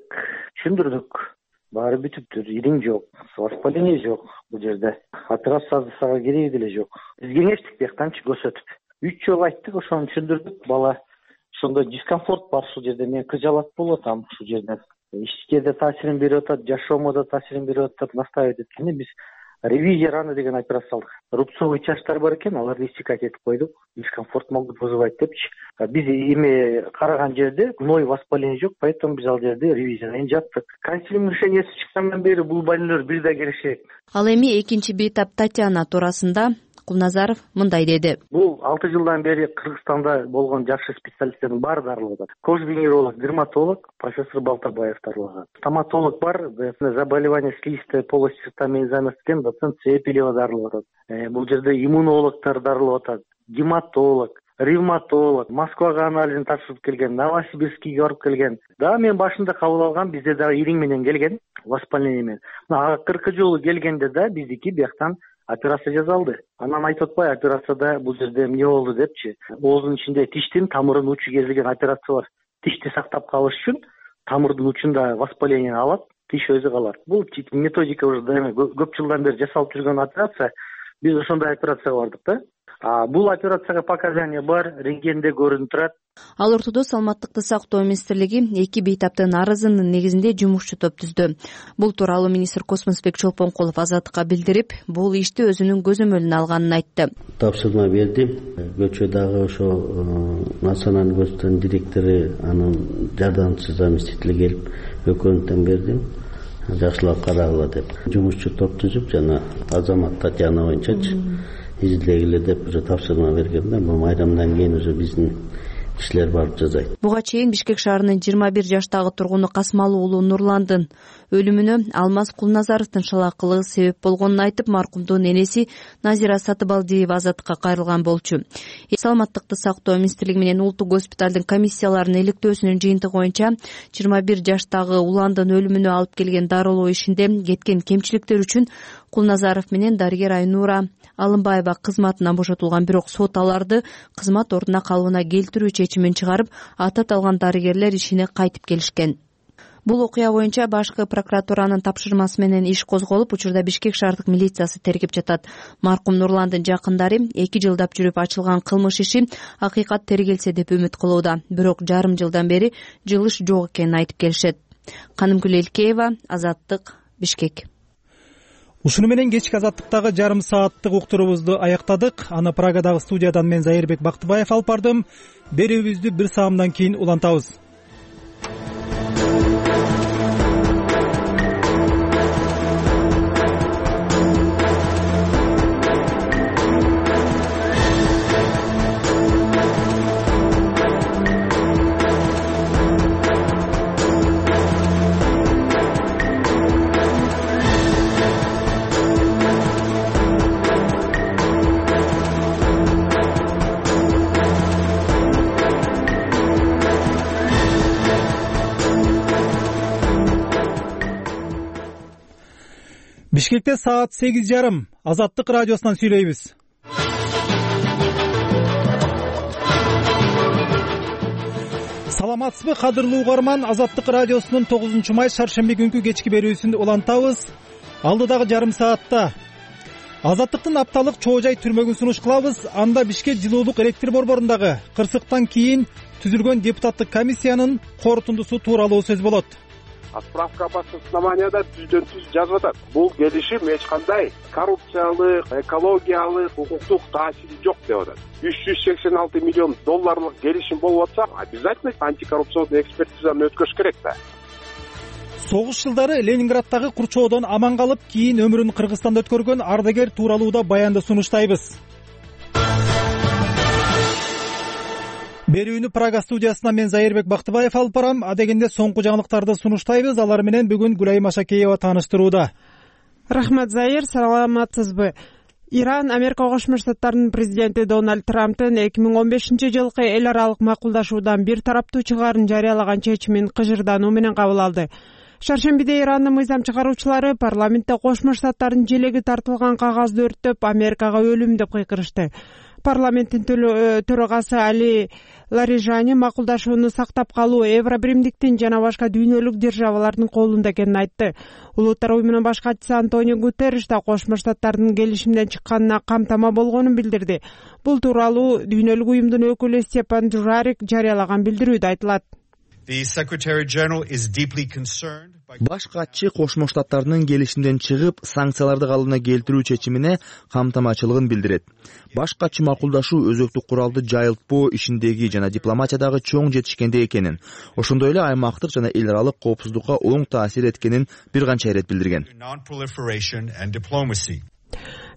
түшүндүрдүк. Баары бүтүптүр, ириң жок, воспаление жок бул жерде. Операция жасаага кереги деле жок. Биз кеңештик бияктанчы көрсөтүп. үч жолу айттык, ошону түшүндүрдүк. Бала ошондо дискомфорт бар ушул жерде, мен кыжалат болуп атам ушул жерде. Ишке таасирин берип атат, жашоомо да таасирин берип атат, настаивать эткенде биз ревизия раны деген операция салдык. Рубцовый частар бар экен, аларды исчекать этип койдук. Дискомфорт могут вызывать депчи. Биз эми караган жерде гной воспаление жок, поэтому биз ал жерде ревизиядан жаттык. Консилиум решениясы чыккандан бери бул больнолор бир да келишет. Ал эми экинчи бейтап Татьяна туурасында Кулназаров мындай деди. Бул алты жылдан бери Кыргызстанда болгон жакшы специалисттердин баары дарылап атат. Кожвенеролог, дерматолог, профессор Балтабаев дарылаган. Стоматолог бар, заболевание слизистой полости рта менен заместитель доцент Цепелева дарылап атат. Бул жерде иммунологдор дарылап атат, гематолог, ревматолог, Москвага анализин тапшырып келген, Новосибирскийге барып келген. Да, мен башында кабыл алгам, бизде дагы ириң менен келген, воспаление менен. Акыркы жолу келгенде да биздики бияктан операция жасалды. Анан айтып атпай, операцияда бул жерде эмне болду депчи. Оозунун ичинде тиштин тамырынын учу кезилген операция бар. Тишти сактап калыш үчүн тамырдын учунда воспаление алат, тиш өзү калат. Бул методика уже көп жылдан бери жасалып жүргөн операция. Биз ошондой операцияга бардык да. А бул операцияга показания бар, рентгенде көрүнүп турат. Ал ортодо Саламаттыкты сактоо министрлиги эки бейтаптын арызынын негизинде жумушчу топ түздү. Бул тууралуу министр Космосбек Чолпонкулов Азаттыкка билдирип, бул ишти өзүнүн көзөмөлүнө алганын айтты. Тапшырма бердим. Көчөдөгү ошо национальный госпиталдын директору, анын жардамчы заместители келип, өкөнү тең бердим. Жакшылап карагыла деп. Жумушчу топ түзүп, жана Азамат Татьяна боюнчачы изилдегиле деп уже тапшырма бергенде, бул майрамдан кийин уже биздин кишилер барып жазайт. Буга чейин Бишкек шаарынын жыйырма бир жаштагы тургуну Касмалы уулу Нурландын өлүмүнө Алмаз Кулназаровдун шалаакылыгы себеп болгонун айтып, маркумдун энеси Назира Сатыбалдиева Азаттыкка кайрылган болчу. Саламаттыкты сактоо министрлиги менен улуттук госпиталдын комиссияларынын иликтөөсүнүн жыйынтыгы боюнча жыйырма бир жаштагы уландын өлүмүнө алып келген дарылоо ишинде кеткен кемчиликтер үчүн Кулназаров менен дарыгер Айнура Алымбаева кызматынан бошотулган, бирок сот аларды кызмат ордуна калыбына келтирүү чечимин чыгарып, аты аталган дарыгерлер ишине кайтып келишкен. Бул окуя боюнча башкы прокуратуранын тапшырмасы менен иш козголуп, учурда Бишкек шаардык милициясы тергеп жатат. Маркум Нурландын жакындары эки жылдап жүрүп ачылган кылмыш иши акыйкат тергелсе деп үмүт кылууда. Бирок жарым жылдан бери жылыш жок экенин айтып келишет. Канымгүл Элкеева, Азаттык, Бишкек. Ушуну менен кечки азаттыктагы жарым сааттык уктурубузду аяктадык. Аны Прагадагы студиядан мен Зайырбек Бактыбаев алып бардым. Берүүбүздү бир саамдан кийин улантабыз. Бишкекте саат сегиз жарым. Азаттык радиосунан сүйлөйбүз. Саламатсызбы, кадырлуу угарман? Азаттык радиосунун тогузунчу май шаршемби күнкү кечки берүүсүн улантабыз. Алдыдагы жарым саатта Азаттыктын апталык чоо жай түрмөгүн сунуш кылабыз. Анда Бишкек жылуулук электр борборундагы кырсыктан кийин түзүлгөн депутаттык комиссиянын корутундусу тууралуу сөз болот. Справка основанияда түздөн түз жазып атат. Бул келишим эч кандай коррупциялык, экологиялык, укуктук таасири жок деп атат. үч жүз сексен алты миллион долларлык келишим болуп атса, обязательно антикоррупционный экспертизаны өткөрүш керек да. Согуш жылдары Ленинградтагы курчоодон аман калып, кийин өмүрүн Кыргызстанда өткөргөн ардагер тууралуу да баянды сунуштайбыз. Берүүнү Прага студиясынан мен Зайырбек Бактыбаев алып барам. Адегенде соңку жаңылыктарды сунуштайбыз. Алар менен бүгүн Гүлайым Ашакеева тааныштырууда. Рахмат, Зайыр, саламатсызбы? Иран Америка Кошмо Штаттарынын президенти Дональд Трамптын эки миң он бешинчи жылкы эл аралык макулдашуудан бир тараптуу чыгаарын жарыялаган чечимин кыжырдануу менен кабыл алды. Шаршембиде Ирандын мыйзам чыгаруучулары парламентте Кошмо Штаттардын желеги тартылган кагазды өрттөп, Америкага өлүм деп кыйкырышты. Парламенттин төрагасы Али Ларижани макулдашууну сактап калуу Евробиримдиктин жана башка дүйнөлүк державалардын колунда экенин айтты. Улуттар уюмунун баш катчысы Антонио Гутерриш да Кошмо Штаттардын келишимден чыкканына камтама болгонун билдирди. Бул тууралуу дүйнөлүк уюмдун өкүлү Степан Дужарик жарыялаган билдирүүдө айтылат. Баш катчы Кошмо Штаттарынын келишимден чыгып, санкцияларды калыбына келтирүү чечимине камтамачылыгын билдирет. Баш катчы макулдашуу өзөктүк куралды жайылтпоо ишиндеги жана дипломатиядагы чоң жетишкенде экенин, ошондой эле аймактык жана эл аралык коопсуздукка оң таасир эткенин бир канча ирет билдирген.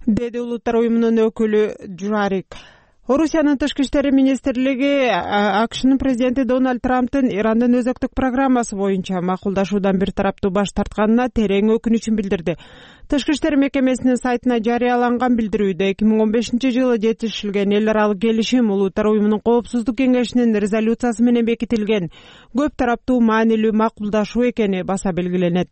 Деди улуттар уюмунун өкүлү Джарик. Орусиянын тышкы иштери министрлиги АКШнын президенти Дональд Трамптын Ирандын өзөктүк программасы боюнча макулдашуудан бир тараптуу баш тартканына терең өкүнүчүн билдирди. Тышкы иштер мекемесинин сайтына жарыяланган билдирүүдө эки миң он бешинчи жылы жетишилген эл аралык келишим улуттар уюмунун коопсуздук кеңешинин резолюциясы менен бекитилген көп тараптуу маанилүү макулдашуу экени баса белгиленет.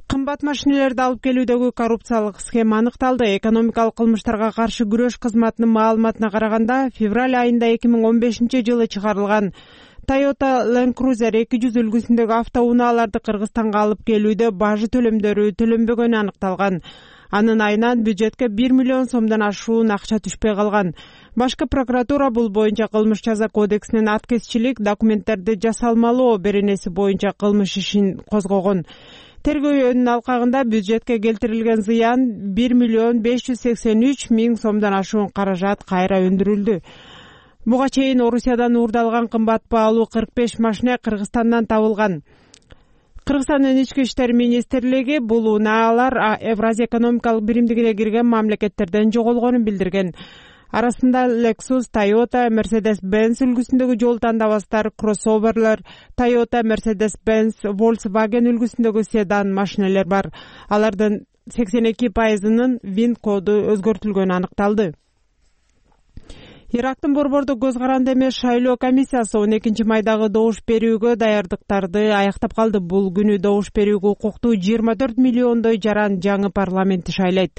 Кымбат машинелерди алып келүүдөгү коррупциялык схема аныкталды. Экономикалык кылмыштарга каршы күрөш кызматынын маалыматына караганда, февраль айында эки миң он бешинчи жылы чыгарылган Toyota Land Cruiser эки жүз үлгүсүндөгү автоунааларды Кыргызстанга алып келүүдө бажы төлөмдөрү төлөнбөгөнү аныкталган. Анын айынан бюджетке бир миллион сомдон ашуун акча түшпөй калган. Башкы прокуратура бул боюнча кылмыш жаза кодексинин аткезчилик документтерди жасалмалоо беренеси боюнча кылмыш ишин козгогон. Тергөөнүн алкагында бюджетке келтирилген зыян бир миллион беш жүз сексен үч миң сомдон ашуун каражат кайра өндүрүлдү. Буга чейин Орусиядан уурдалган кымбат баалуу кырк беш машина Кыргызстандан табылган. Кыргызстандын ички иштер министрлиги бул унаалар Евразия экономикалык биримдигине кирген мамлекеттерден жоголгонун билдирген. Арасында Lexus, Toyota, Mercedes-Benz үлгүсүндөгү жол тандабастар, кроссоверлер, Toyota, Mercedes-Benz, Volkswagen үлгүсүндөгү седан машинелер бар. Алардын сексен эки пайызынын вин коду өзгөртүлгөнү аныкталды. Ирактын борбордук көз каранды эмес шайлоо комиссиясы он экинчи майдагы добуш берүүгө даярдыктарды аяктап калды. Бул күнү добуш берүүгө укуктуу жыйырма төрт миллиондой жаран жаңы парламентти шайлайт.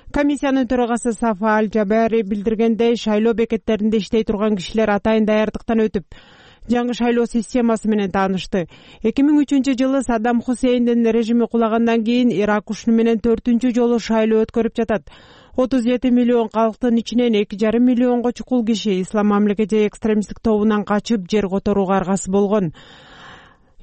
Комиссиянын төрагасы Сафа Аль-Жабари билдиргендей, шайлоо бекеттеринде иштей турган кишилер атайын даярдыктан өтүп, жаңы шайлоо системасы менен таанышты. эки миң үчүнчү жылы Саддам Хусейндин режими кулагандан кийин Ирак ушуну менен төртүнчү жолу шайлоо өткөрүп жатат. отуз жети миллион калктын ичинен эки жарым миллионго чукул киши Ислам мамлекети экстремисттик тобунан качып жер которууга аргасы болгон.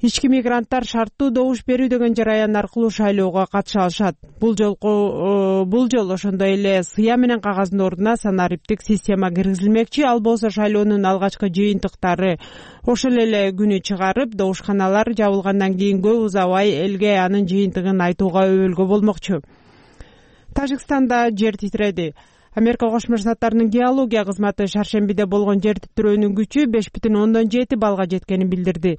ички мигранттар шарттуу добуш берүү деген жараян аркылуу шайлоого катыша алышат. Бул жолку бул жолу ошондой эле сыя менен кагаздын ордуна санариптик система киргизилмекчи. Ал болсо шайлоонун алгачкы жыйынтыктары ошол эле күнү чыгарып, добушканалар жабылгандан кийин көп узабай элге анын жыйынтыгын айтууга өбөлгө болмокчу. Тажикстанда жер титиреди. Америка Кошмо Штаттарынын геология кызматы шаршембиде болгон жер титирөөнүн күчү беш бүтүн ондон жети баллга жеткенин билдирди.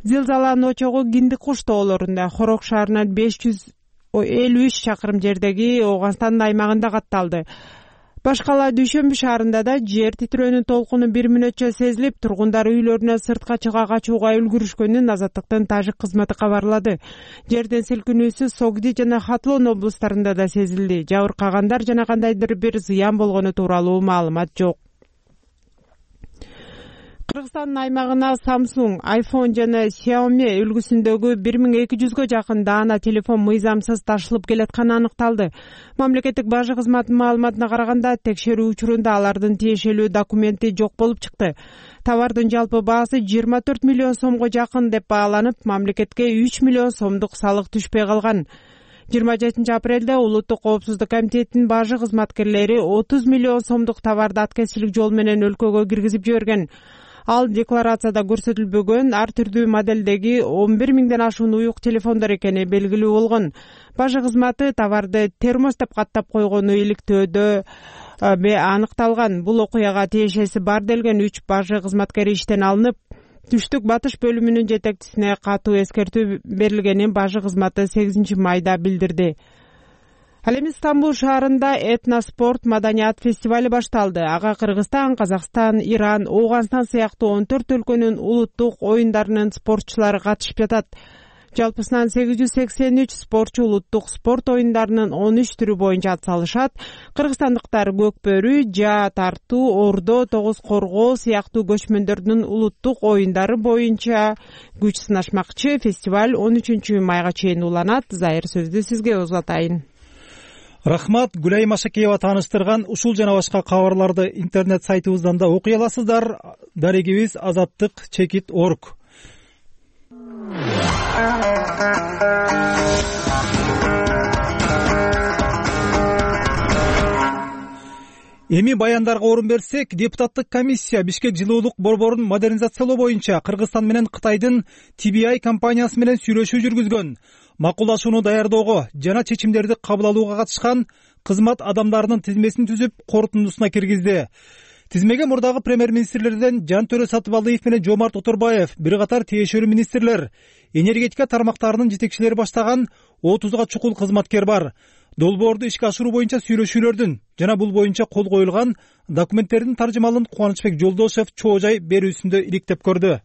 Зилзаланын очогу Киндик куш тоолорунда, Хорок шаарынан беш жүз элүү үч чакырым жердеги Ооганстандын аймагында катталды. Башкала Дүйшөмбү шаарында да жер титирөөнүн толкуну бир мүнөтчө сезилип, тургундар үйлөрүнөн сыртка чыга качууга үлгүрүшкөнүн Азаттыктын тажик кызматы кабарлады. Жерден силкинүүсү Согди жана Хатлон облустарында да сезилди. Жабыркагандар жана кандайдыр бир зыян болгону тууралуу маалымат жок. Кыргызстандын аймагына Samsung, iPhone жана Xiaomi үлгүсүндөгү бир миң эки жүзгө жакын даана телефон мыйзамсыз ташылып келатканы аныкталды. Мамлекеттик бажы кызматынын маалыматына караганда, текшерүү учурунда алардын тиешелүү документи жок болуп чыкты. Товардын жалпы баасы жыйырма төрт миллион сомго жакын деп бааланып, мамлекетке үч миллион сомдук салык түшпөй калган. жыйырма жетинчи апрелде Улуттук коопсуздук комитетинин бажы кызматкерлери отуз миллион сомдук товарды аткезчилик жол менен өлкөгө киргизип жиберген. Ал декларацияда көрсөтүлбөгөн ар түрдүү моделдеги он бир миңден ашуун уюк телефондор экени белгилүү болгон. Бажы кызматы товарды термос деп каттап койгону иликтөөдө аныкталган. Бул окуяга тиешеси бар делген үч бажы кызматкери иштен алынып, түштүк батыш бөлүмүнүн жетекчисине катуу эскертүү берилгенин бажы кызматы сегизинчи майда билдирди. Ал эми Стамбул шаарында этноспорт маданият фестивали башталды. Ага Кыргызстан, Казакстан, Иран, Ооганстан сыяктуу он төрт өлкөнүн улуттук оюндарынын спортчулары катышып жатат. Жалпысынан сегиз жүз сексен үч спортчу улуттук спорт оюндарынын он үч түрү боюнча атсалышат. Кыргызстандыктар көкбөрү, жаа тартуу, ордо, тогуз коргоо сыяктуу көчмөндөрдүн улуттук оюндары боюнча күч сынашмакчы. Фестиваль он үчүнчү майга чейин уланат. Зайыр сөздү сизге узатайын. Рахмат, Гүлай Машакеева тааныштырган ушул жана башка кабарларды интернет сайтыбыздан да окуй аласыздар. Дарегибиз азаттык чекит точка орг. Эми баяндарга орун берсек, депутаттык комиссия Бишкек жылуулук борборун модернизациялоо боюнча Кыргызстан менен Кытайдын Ти Би Ай компаниясы менен сүйлөшүү жүргүзгөн. Макулдашууну даярдоого жана чечимдерди кабыл алууга катышкан кызмат адамдарынын тизмесин түзүп, корутундусуна киргизди. Тизмеге мурдагы премьер-министрлерден Жантөрө Сатыбалдиев менен Жомарт Оторбаев, бир катар тиешелүү министрлер, энергетика тармактарынын жетекчилери баштаган отузга чукул кызматкер бар. Долбоорду ишке ашыруу боюнча сүйлөшүүлөрдүн жана бул боюнча кол коюлган документтердин таржымалын Кубанычбек Жолдошев чоо жай берүүсүндө иликтеп көрдү.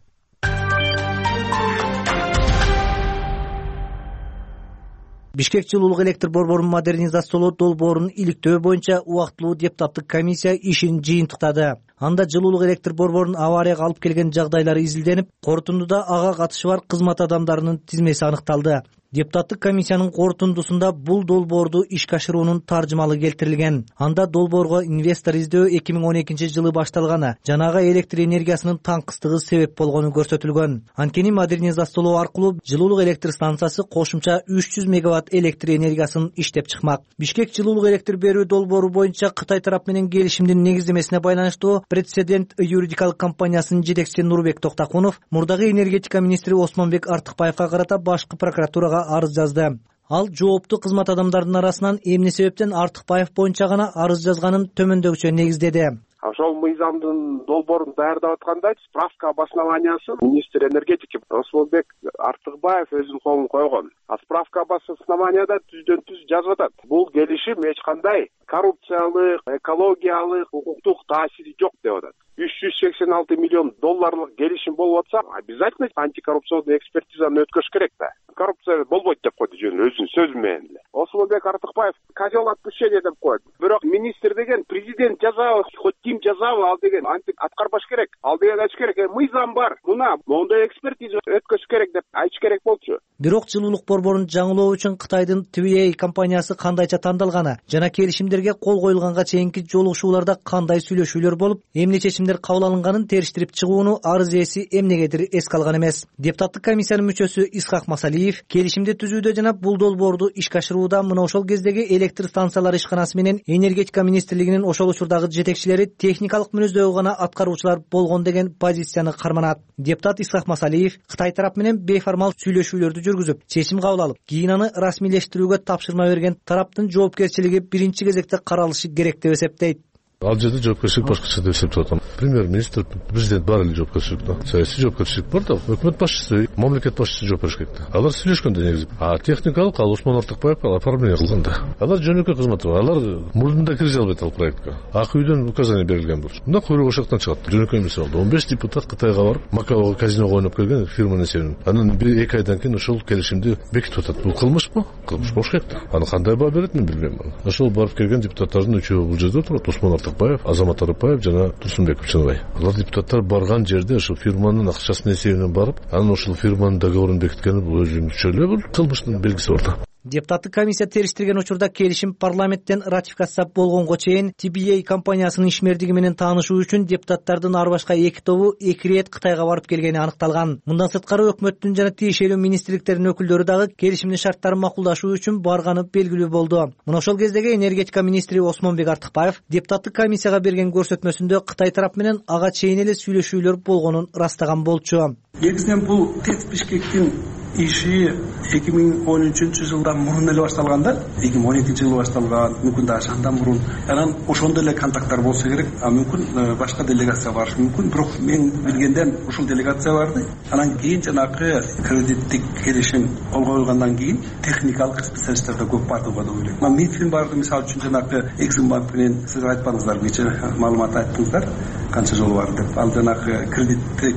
Бишкек жылуулук электр борборун модернизациялоо долбоорун иликтөө боюнча убактылуу депутаттык комиссия ишин жыйынтыктады. Анда жылуулук электр борборун аварияга алып келген жагдайлары изилденип, корутундуда ага катышы бар кызмат адамдарынын тизмеси аныкталды. Депутаттык комиссиянын корутундусунда бул долбоорду ишке ашыруунун таржымалы келтирилген. Анда долбоорго инвестор издөө эки миң он экинчи жылы башталганы, жанагы электр энергиясынын таңкыстыгы себеп болгону көрсөтүлгөн. Анткени модернизациялоо аркылуу жылуулук электр станциясы кошумча үч жүз мегаватт электр энергиясын иштеп чыкмак. Бишкек жылуулук электр берүү долбоору боюнча Кытай тарап менен келишимдин негиздемесине байланыштуу Прецедент юридикалык компаниясынын жетекчиси Нурбек Токтакунов мурдагы энергетика министри Осмонбек Артыкбаевга карата башкы прокуратурага арыз жазды. Ал жооптуу кызмат адамдарынын арасынан эмне себептен Артыкбаев боюнча гана арыз жазганын төмөндөгүчө негиздеди. Ошол мыйзамдын долбоорун даярдап атканда справка обоснованиясын министр энергетики Осмонбек Артыкбаев өзүнүн колуна койгон. А справка обоснованияда түздөн түз жазып атат. Бул келишим эч кандай коррупциялык, экологиялык, укуктук таасири жок деп атат. үч жүз сексен алты миллион долларлык келишим болуп атса, обязательно антикоррупционный экспертизаны өткөрүш керек да. Коррупция болбойт деп койду жөн өзүнүн сөзү менен эле. Осмонбек Артыкбаев козел отпущения деп коет. Бирок министр деген президент жазабы, хоть ким жазабы, ал деген антип аткарбаш керек. Ал деген айтыш керек, мыйзам бар. Мына моундай экспертиза өткөрүш керек деп айтыш керек болчу. Бирок жылуулук борборун жаңылоо үчүн Кытайдын Ти Би Эй компаниясы кандайча тандалганы жана келишимдерге кол коюлганга чейинки жолугушууларда кандай сүйлөшүүлөр болуп, эмне чечимдер кабыл алынганын териштирип чыгууну арыз ээси эмнегедир эске алган эмес. Депутаттык комиссиянын мүчөсү Исхак Масалиев келишимди түзүүдө жана бул долбоорду ишке ашырууда мына ошол кездеги электр станциялары ишканасы менен энергетика министрлигинин ошол учурдагы жетекчилери техникалык мүнөздөөгө гана аткаруучулар болгон деген позицияны карманат. Депутат Исхак Масалиев Кытай тарап менен бейформал сүйлөшүүлөрдү жүргүзүп, чечим кабыл алып, кийин аны расмийлештирүүгө тапшырма берген тараптын жоопкерчилиги биринчи кезекте каралышы керек деп эсептейт. Ал жерде жоопкерчилик башкача деп эсептеп атам. Премьер-министр, президент баары эле жоопкерчиликте. Саясий жоопкерчилик бар да, өкмөт башчысы, мамлекет башчысы жооп бериш керек да. Алар сүйлөшкөндө негизи. А техникалык ал Осмон Артыкбаев оформление кылганда. Алар жөнөкөй кызматы бар. Алар мурдунда кире албайт ал проектке. Ак үйдөн указание берилген болчу. Мында куйрук ошоктон чыгат. Жөнөкөй эмес болду. он беш депутат Кытайга барып, Макаого казиного ойноп келген фирманын эсебинен. Анан бир эки айдан кийин ошол келишимди бекитип атат. Бул кылмышпы? Кылмыш болуш керек да. Аны кандай баа берет мен билбейм. Ошол барып келген депутаттардын үчөө бул жерде турат. Осмон Артыкбаев, Азамат Арыпаев жана Турсунбеков Чыныбай. Алар депутаттар барган жерде ошол фирманын акчасынын эсебинен барып, анан ошол фирманын договорун бекиткени бул өзүнчө эле бул кылмыштын белгиси бар да. Депутаттык комиссия териштирген учурда келишим парламенттен ратификация болгонго чейин Ти Би Эй компаниясынын ишмердиги менен таанышуу үчүн депутаттардын ар башка эки тобу эки ирет Кытайга барып келгени аныкталган. Мындан сырткары өкмөттүн жана тиешелүү министрликтердин өкүлдөрү дагы келишимдин шарттарын макулдашуу үчүн барганы белгилүү болду. Мына ошол кездеги энергетика министри Осмонбек Артыкбаев депутаттык комиссияга берген көрсөтмөсүндө Кытай тарап менен ага чейин эле сүйлөшүүлөр болгонун ырастаган болчу. Негизинен бул ТЭЦ Бишкектин иши эки миң он үчүнчү жылдан мурун эле башталган да, эки миң он экинчи жылы башталган, мүмкүн да ошондон мурун. Анан ошондо эле контакттар болсо керек, а мүмкүн башка делегация барышы мүмкүн, бирок мен билгенден ушул делегация барды. Анан кийин жанагы кредиттик келишим кол коюлгандан кийин техникалык специалисттер да көп барды го деп ойлойм. Мен Митфин барды, мисалы үчүн жанагы Эксимбанк менен сиз айтпадыңыздар, нече маалымат айттыңыздар, канча жолу бар деп. Ал жанагы кредиттик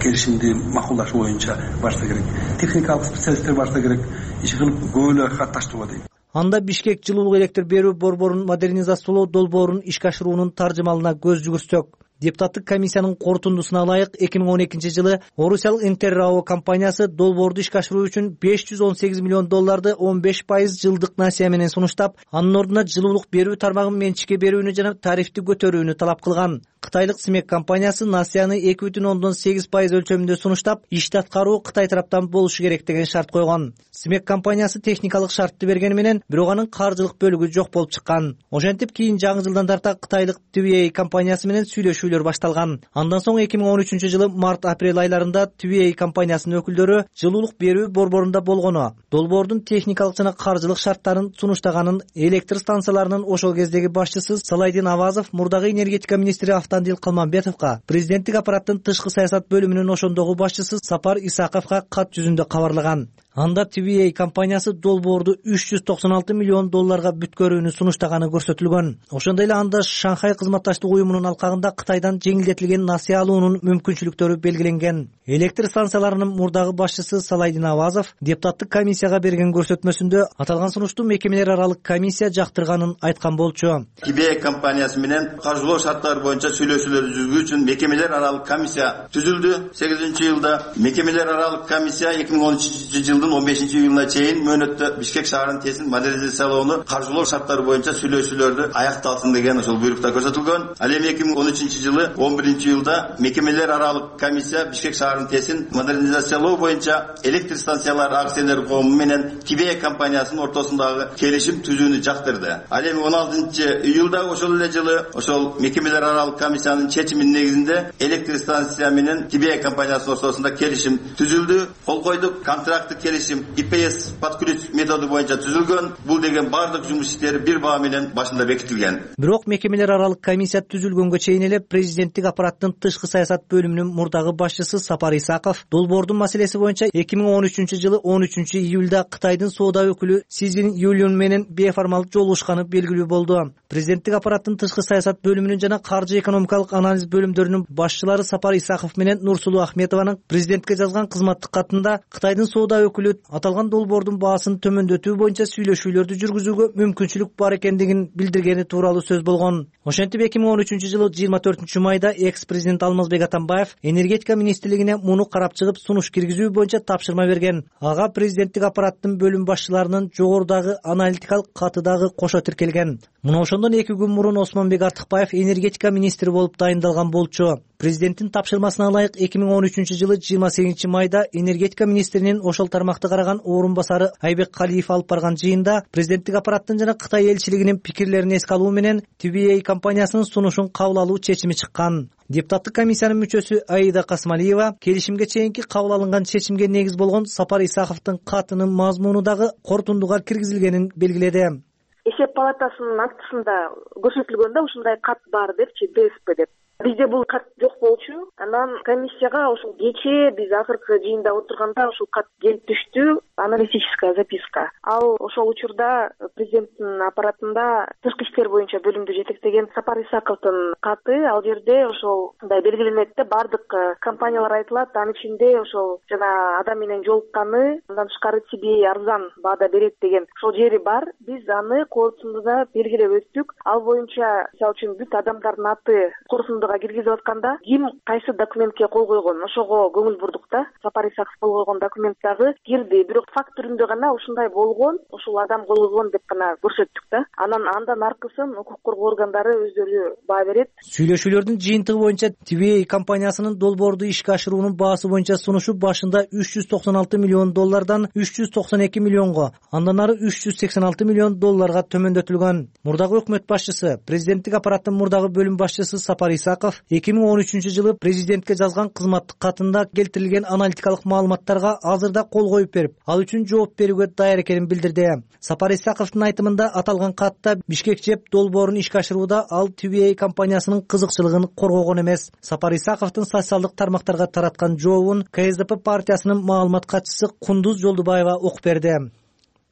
келишимди макулдашуу боюнча барса керек. Техникалык специалисттер барса керек, иш кылып көп эле катташтыруу дейм. Анда Бишкек жылуулук электр берүү борборун модернизациялоо долбоорун ишке ашыруунун таржымалына көз жүгүрсөк, депутаттык комиссиянын корутундусуна ылайык эки миң он экинчи жылы орусиялык Интеррао компаниясы долбоорду ишке ашыруу үчүн беш жүз он сегиз миллион долларды он беш пайыз жылдык насыя менен сунуштап, анын ордуна жылуулук берүү тармагын менчикке берүүнү жана тарифти көтөрүүнү талап кылган. Кытайлык Смек компаниясы насыяны эки бүтүн ондон сегиз пайыз өлчөмүндө сунуштап, ишти аткаруу Кытай тараптан болушу керек деген шарт койгон. Смек компаниясы техникалык шартты бергени менен, бирок анын каржылык бөлүгү жок болуп чыккан. Ошентип кийин жаңы жылдан тарта Кытайлык Ти Би Эй компаниясы менен сүйлөшүүлөр башталган. Андан соң эки миң он үчүнчү жылы март-апрель айларында Ти Би Эй компаниясынын өкүлдөрү жылуулук берүү борборунда болгону, долбоордун техникалык жана каржылык шарттарын сунуштаганын электр станцияларынын ошол кездеги башчысы Салайдин Авазов мурдагы энергетика министри Автандил Калманбетовго, президенттик аппараттын тышкы саясат бөлүмүнүн ошондогу башчысы Сапар Исаковго кат жүзүндө кабарлаган. Анда Ти Би Эй компаниясы долбоорду үч жүз токсон алты миллион долларга бүткөрүүнү сунуштаганы көрсөтүлгөн. Ошондой эле анда Шанхай кызматташтык уюмунун алкагында Кытайдан жеңилдетилген насыя алуунун мүмкүнчүлүктөрү белгиленген. Электр станцияларынын мурдагы башчысы Салайдин Авазов депутаттык комиссияга берген көрсөтмөсүндө аталган сунушту мекемелер аралык комиссия жактырганын айткан болчу. Ти Би Эй компаниясы менен каржылоо шарттары боюнча сүйлөшүүлөр жүргүзүү үчүн мекемелер аралык комиссия түзүлдү. сегизинчи жылда мекемелер аралык комиссия эки миң он үчүнчү жылдын он бешинчи июлуна чейин мөөнөттө Бишкек шаарынын тесин модернизациялоону каржылоо шарттары боюнча сүйлөшүүлөрдү аякталсын деген ошол буйрукта көрсөтүлгөн. Ал эми эки миң он үчүнчү жылы он биринчи июлда мекемелер аралык комиссия Бишкек шаарынын тесин модернизациялоо боюнча электр станциялары акционерлик коому менен Ти Би Эй компаниясынын ортосундагы келишим түзүүнү жактырды. Ал эми он алтынчы июлда ошол эле жылы ошол мекемелер аралык комиссиянын чечиминин негизинде электр станция менен Ти Би Эй компаниясынын ортосунда келишим түзүлдү. Кол койдук. Контракттык келишим И Пи Эс под ключ методу боюнча түзүлгөн. Бул деген бардык жумуш иштери бир баа менен башында бекитилген. Бирок мекемелер аралык комиссия түзүлгөнгө чейин эле президенттик аппараттын тышкы саясат бөлүмүнүн мурдагы башчысы Сапар Исаков долбоордун маселеси боюнча эки миң он үчүнчү жылы он үчүнчү июлда Кытайдын соода өкүлү Сизин Юлюн менен бейформал жолугушканы белгилүү болду. Президенттик аппараттын тышкы саясат бөлүмүнүн жана каржы экономикалык анализ бөлүмдөрүнүн башчылары Сапар Исаков менен Нурсулуу Ахметованын президентке жазган кызматтык катында Кытайдын соода өкүлү өкүлү аталган долбоордун баасын төмөндөтүү боюнча сүйлөшүүлөрдү жүргүзүүгө мүмкүнчүлүк бар экендигин билдиргени тууралуу сөз болгон. Ошентип эки миң он үчүнчү жылы жыйырма төртүнчү майда экс президент Алмазбек Атамбаев энергетика министрлигине муну карап чыгып сунуш киргизүү боюнча тапшырма берген. Ага президенттик аппараттын бөлүм башчыларынын жогорудагы аналитикалык каты дагы кошо тиркелген. Муну ошондон эки күн мурун Осмонбек Артыкбаев энергетика министри болуп дайындалган болчу. Президенттин тапшырмасына ылайык эки миң он үчүнчү жылы жыйырма сегизинчи майда энергетика министринин ошол тармакты караган орун басары Айбек Калиев алып барган жыйында президенттик аппараттын жана Кытай элчилигинин пикирлерин эске алуу менен Ти Би Эй компаниясынын сунушун кабыл алуу чечими чыккан. Депутаттык комиссиянын мүчөсү Аида Касмалиева келишимге чейинки кабыл алынган чечимге негиз болгон Сапар Исаковдун катынын мазмуну дагы корутундуга киргизилгенин белгиледи. Эсеп палатасынын актысында көрсөтүлгөндө ушундай кат бар депчи, ДСП деп. Бизде бул кат жок болчу. Анан комиссияга ошол кечээ биз акыркы жыйында отурганда ошол кат келип түштү, аналитическая записка. Ал ошол учурда президенттин аппаратында тышкы иштер боюнча бөлүмдү жетектеген Сапар Исаковдун каты. Ал жерде ошол мындай белгиленет да, бардык компаниялар айтылат, анын ичинде ошол жана адам менен жолукканы, андан тышкары Ти Би Эй арзан баада берет деген ошол жери бар. Биз аны корутундуда белгилеп өттүк. Ал боюнча мисалы үчүн бүт адамдардын аты корутундуга киргизип атканда ким кайсы документке кол койгон, ошого көңүл бурдук да. Сапар Исаков кол койгон документ дагы кирди, бирок факт түрүндө гана ушундай болгон, ушул адам кол койгон деп гана көрсөттүк да. Анан андан аркысын укук коргоо органдары өздөрү баа берет. Сүйлөшүүлөрдүн жыйынтыгы боюнча Ти Би Эй компаниясынын долбоорду ишке ашыруунун баасы боюнча сунушу башында үч жүз токсон алты миллион доллардан үч жүз токсон эки миллионго, андан ары үч жүз сексен алты миллион долларга төмөндөтүлгөн. Мурдагы өкмөт башчысы, президенттик аппараттын мурдагы бөлүм башчысы Сапар Исаков эки миң он үчүнчү жылы президентке жазган кызматтык катында келтирилген аналитикалык маалыматтарга азырда кол коюп берип, ал үчүн жооп берүүгө даяр экенин билдирди. Сапар Исаковдун айтымында аталган катта Бишкек ЖЭП долбоорун ишке ашырууда ал Ти Би Эй компаниясынын кызыкчылыгын коргогон эмес. Сапар Исаковдун социалдык тармактарга тараткан жообун Ка Эс Де Пе партиясынын маалымат катчысы Кундуз Жолдубаева окуп берди.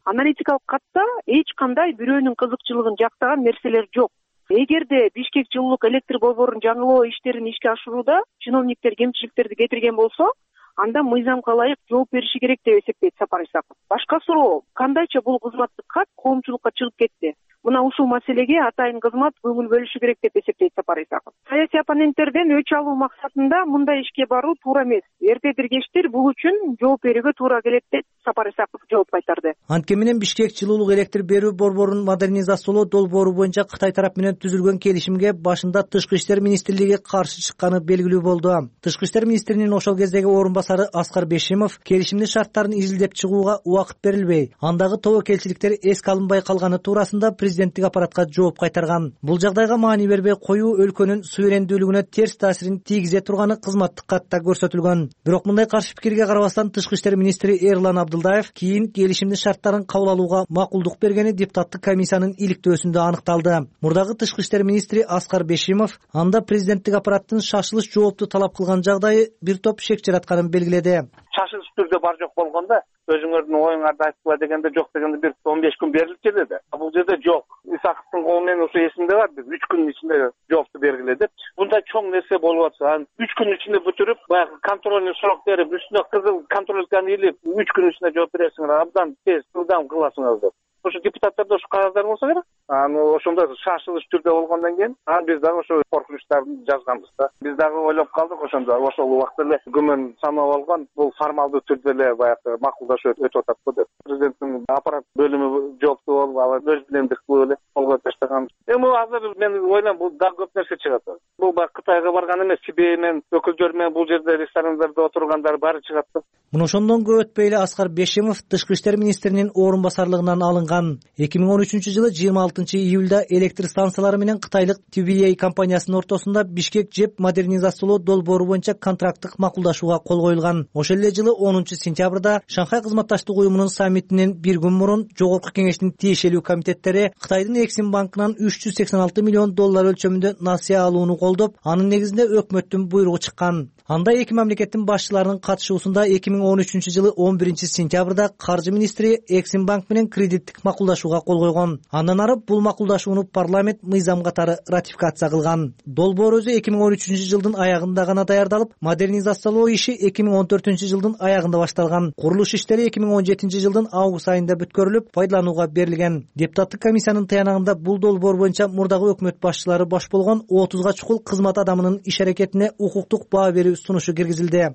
Аналитикалык катта эч кандай бирөөнүн кызыкчылыгын жактаган нерселер жок. Эгерде Бишкек жылуулук электр борборунун жаңылоо иштерин ишке ашырууда чиновниктер кемчиликтерди кетирген болсо, анда мыйзамга ылайык жооп бериши керек деп эсептейт Сапар Исаков. Башка суроо, кандайча бул кызматтык кат коомчулукка чыгып кетти? Мына ушул маселеге атайын кызмат көңүл бөлүшү керек деп эсептейт Сапар Исаков. Саясий оппоненттерден өч алуу максатында мындай ишке баруу туура эмес. Эртедир кечтир бул үчүн жооп берүүгө туура келет деп Сапар Исаков жооп кайтарды. Анткени менен Бишкек жылуулук электр берүү борборунун модернизациялоо долбоору боюнча Кытай тарап менен түзүлгөн келишимге башында Тышкы иштер министрлиги каршы чыкканы белгилүү болду. Тышкы иштер министринин ошол кездеги орун басары Аскар Бешимов келишимдин шарттарын изилдеп чыгууга убакыт берилбей, андагы тобокелчиликтер эске алынбай калганы туурасында президенттик аппаратка жооп кайтарган. Бул жагдайга маани бербей коюу өлкөнүн суверендүүлүгүнө терс таасирин тийгизе турганы кызматтык катта көрсөтүлгөн. Бирок мындай каршы пикирге карабастан Тышкы иштер министри Эрлан Абдылдаев кийин келишимдин шарттарын кабыл алууга макулдук бергени депутаттык комиссиянын иликтөөсүндө аныкталды. Мурдагы Тышкы иштер министри Аскар Бешимов анда президенттик аппараттын шашылыш жоопту талап кылган жагдайы бир топ шек жаратканын белгиледи. Шашылыш түрдө бар жок болгондо өзүңөрдүн оюңарды айтып дегенде жок дегенде бир он беш күн берилчү деди. Бул жерде жок. Исаковдун колу менен ошо эсимде бар, биз үч күнүн ичинде жоопту бергиле депчи. Мындай чоң нерсе болуп атса, анан үч күнүн ичинде бүтүрүп, баягы контрольный срок берип, үстүнө кызыл контрольканы илип, үч күнүн ичинде жооп бересиңер, абдан тез, ылдам кыласыңар деп. Ошо депутаттарда ошо кагаздар болсо керек. Аны ошондо шашылыш түрдө болгондон кийин, анан биз дагы ошо коркунучтарды жазганбыз да. Биз дагы ойлоп калдык ошондо, ошол убакта эле күмөн санап алган, бул формалдуу түрдө эле баягы макулдашып өтүп атат го деп. Президенттин аппарат бөлүмү жооптуу болуп, ал өз билемдик кылып эле колго таштаган. Эми азыр мен ойлойм, бул дагы көп нерсе чыгат. Бул баягы Кытайга барган эмес, Ти Би Эй менен өкүлдөр менен бул жерде ресторандарда отургандар баары чыгат да. Муну ошондон көп өтпөй эле Аскар Бешимов Тышкы иштер министринин орун басарлыгынан алынган. эки миң он үчүнчү жылы жыйырма алтынчы июлда электр станциялары менен кытайлык Ти Би Эй компаниясынын ортосунда Бишкек ЖЭП модернизациялоо долбоору боюнча контракттык макулдашууга кол коюлган. Ошол эле жылы онунчу сентябрда Шанхай кызматташтык уюмунун саммитинен бир күн мурун Жогорку кеңештин тиешелүү комитеттери Кытайдын Эксим банкынан үч жүз сексен алты миллион доллар өлчөмүндө насыя алууну колдоп, анын негизинде өкмөттүн буйругу чыккан. Анда эки мамлекеттин башчыларынын катышуусунда эки миң он үчүнчү жылы он биринчи сентябрда каржы министри Эксим банк менен кредиттик макулдашууга кол койгон. Андан ары бул макулдашууну парламент мыйзам катары ратификация кылган. Долбоор өзү эки миң он үчүнчү жылдын аягында гана даярдалып, модернизациялоо иши эки миң он төртүнчү жылдын аягында башталган. Курулуш иштери эки миң он жетинчи жылдын август айында бүткөрүлүп, пайдаланууга берилген. Депутаттык комиссиянын таянагында бул долбоор боюнча мурдагы өкмөт башчылары баш болгон отузга чукул кызмат адамынын иш аракетине укуктук баа берүү сунушу киргизилди.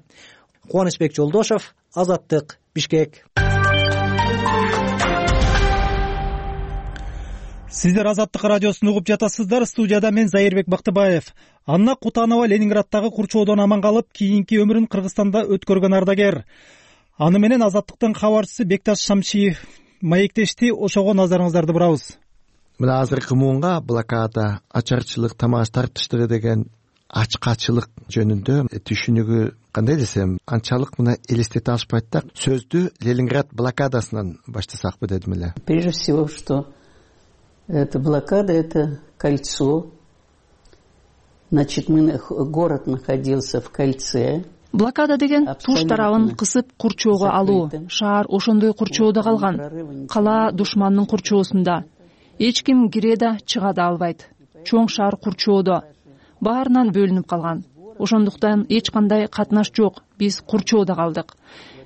Кубанычбек Жолдошов, Азаттык, Бишкек. Сиздер Азаттык радиосун угуп жатасыздар. Студияда мен Зайырбек Бактыбаев. Анна Кутанова Ленинградтагы курчоодон аман калып, кийинки өмүрүн Кыргызстанда өткөргөн ардагер. Аны менен Азаттыктын кабарчысы Бекташ Шамшиев маектешти. Ошого назарыңыздарды бурабыз. Мына азыркы муунга блокада, ачарчылык, тамак тартыштыры деген ачкачылык жөнүндө түшүнүгү кандай десем, анчалык мына элестете алышпайт да. Сөздү Ленинград блокадасынан баштасакпы дедим эле. Прежде всего, что эта блокада — это кольцо. Значит, мы, город находился в кольце. Блокада деген туш тарабын кысып курчоого алуу. Шаар ошондой курчоодо калган. Кала душмандын курчоосунда. Эч ким кире да чыга да албайт. Чоң шаар курчоодо. Баарынан бөлүнүп калган. Ошондуктан эч кандай катнаш жок. Биз курчоодо калдык.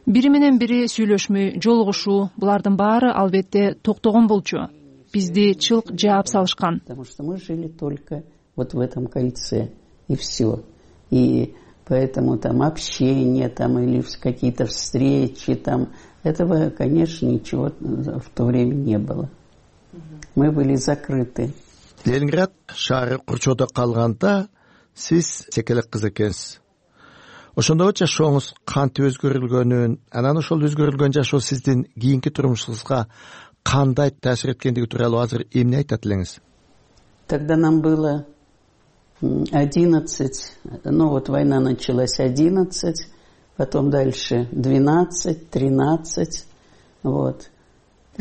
Бири менен бири сүйлөшмөй, жолугушуу, булардын баары албетте токтогон болчу. Бизди чылк жаап салышкан. Потому что мы жили только вот в этом кольце, и все. И поэтому там общение, там или какие-то встречи, там этого, конечно, ничего в то время не было. Мы были закрыты. Ленинград шаары курчоодо калганда сиз секелек кыз экенсиз. Ошондо жашооңуз кантип өзгөрүлгөнүн, анан ошол өзгөрүлгөн жашоо сиздин кийинки турмушуңузга кандай таасир эткендиги тууралуу азыр эмне айтат элеңиз? Тогда нам было одиннадцать, ну вот война началась одиннадцать, потом дальше двенадцать, тринадцать, вот.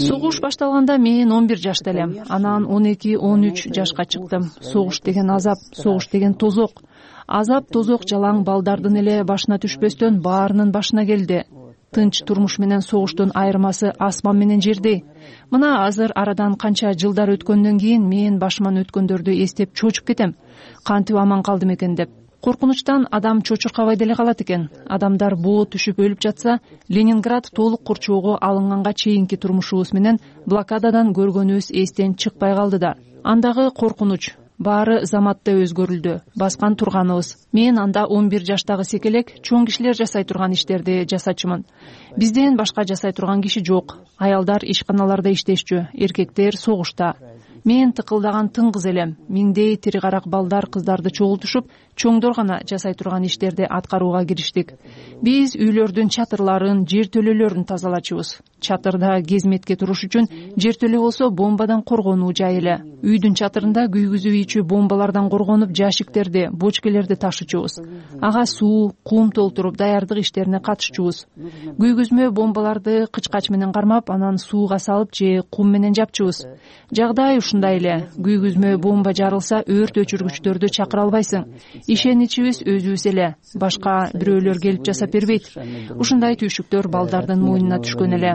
Согуш башталганда мен он бир жашта элем. Анан он эки он үч жашка чыктым. Согуш деген азап, согуш деген тозок. Азап, тозок жалаң балдардын эле башына түшпөстөн баарынын башына келди. Тынч турмуш менен согуштун айырмасы асман менен жердей. Мына азыр арадан канча жылдар өткөндөн кийин мен башыман өткөндөрдү эстеп чочуп кетем. Кантип аман калдым экен деп. Коркунучтан адам чочуркабай деле калат экен. Адамдар боо түшүп өлүп жатса, Ленинград толук курчоого алынганга чейинки турмушубуз менен блокададан көргөнүбүз эстен чыкпай калды да. Андагы коркунуч баары заматта өзгөрүлдү. Баскан турганыбыз. Мен анда он бир жаштагы секелек чоң кишилер жасай турган иштерди жасачумун. Бизден башка жасай турган киши жок. Аялдар ишканаларда иштешчү, эркектер согушта. Мен тыкылдаган тың кыз элем. Миңдей тири карак балдар кыздарды чогултушуп, чоңдор гана жасай турган иштерди аткарууга кириштик. Биз үйлөрдүн чатырларын, жертөлөлөрүн тазалачубуз. Чатырда кезметке туруш үчүн жертөлө болсо бомбадан коргонуу жай эле. Үйдүн чатырында күйгүзүү ийчү бомбалардан коргонуп, жашиктерди, бочкелерди ташычубуз. Ага суу, кум толтуруп даярдык иштерине катышчубуз. Күйгүзмө бомбаларды кычкач менен кармап, анан сууга салып же кум менен жапчубуз. Жагдай ушундай эле. Күйгүзмө бомба жарылса, өрт өчүргүчтөрдү чакыра албайсың. Ишеничибиз өзүбүз эле. Башка бирөөлөр келип жасап бербейт. Ушундай түйшүктөр балдардын мойнуна түшкөн эле.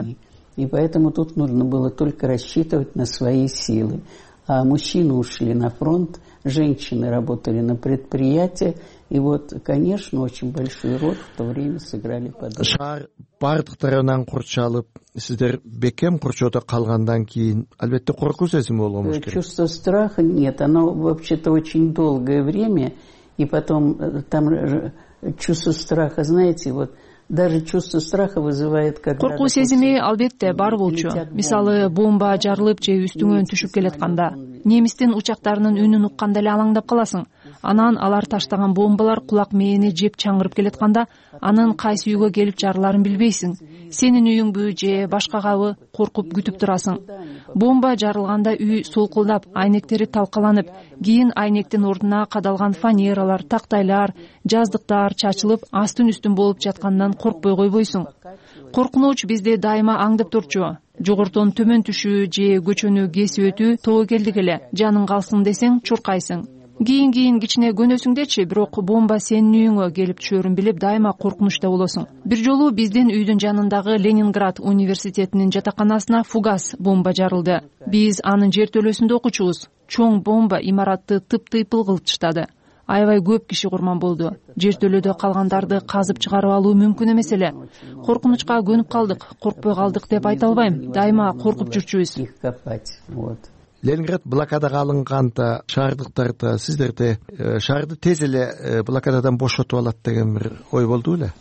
И поэтому тут нужно было только рассчитывать на свои силы. А мужчины ушли на фронт, женщины работали на предприятии. И вот, конечно, очень большой роль в то время сыграли подруги. Шаар бардык тарабынан курчалып, сиздер бекем курчоодо калгандан кийин албетте коркуу сезими болгонуңуз керек. Чувство страха нет, оно вообще-то очень долгое время, и потом там чувство страха, знаете, вот даже чувство страха вызывает, когда... Коркуу сезими албетте бар болчу. Мисалы, бомба жарылып же үстүңөн түшүп келатканда, немистин учактарынын үнүн укканда эле алаңдап каласың. Анан алар таштаган бомбалар кулак мээни жеп чаңырып келатканда, анын кайсы үйгө келип жарыларын билбейсиң. Сенин үйүңбү же башкагабы коркуп күтүп турасың. Бомба жарылганда үй солкулдап, айнектери талкаланып, кийин айнектин ордуна кадалган фанералар, тактайлар, жаздыктар чачылып, астын үстүн болуп жаткандан коркпой койбойсуң. Коркунуч бизди дайыма аңдып турчу. Жогортон төмөн түшүү же көчөнү кесип өтүү тобокелдик эле. Жаның калсын десең чуркайсың. кийин кийин кичине көнөсүңдечи, бирок бомба сенин үйүңө келип түшөрүн билип дайыма коркунучта болосуң. Бир жолу биздин үйдүн жанындагы Ленинград университетинин жатаканасына фугас бомба жарылды. Биз анын жертөлөсүндө окучубуз. Чоң бомба имаратты тыптыйпыл кылып таштады. Аябай көп киши курман болду. Жертөлөдө калгандарды казып чыгарып алуу мүмкүн эмес эле. Коркунучка көнүп калдык, коркпой калдык деп айта албайм. Дайыма коркуп жүрчүбүз. Ленинград блокадага алынганда шаардыктарда сиздерде шаарды тез эле блокададан бошотуп алат деген бир ой болду беле?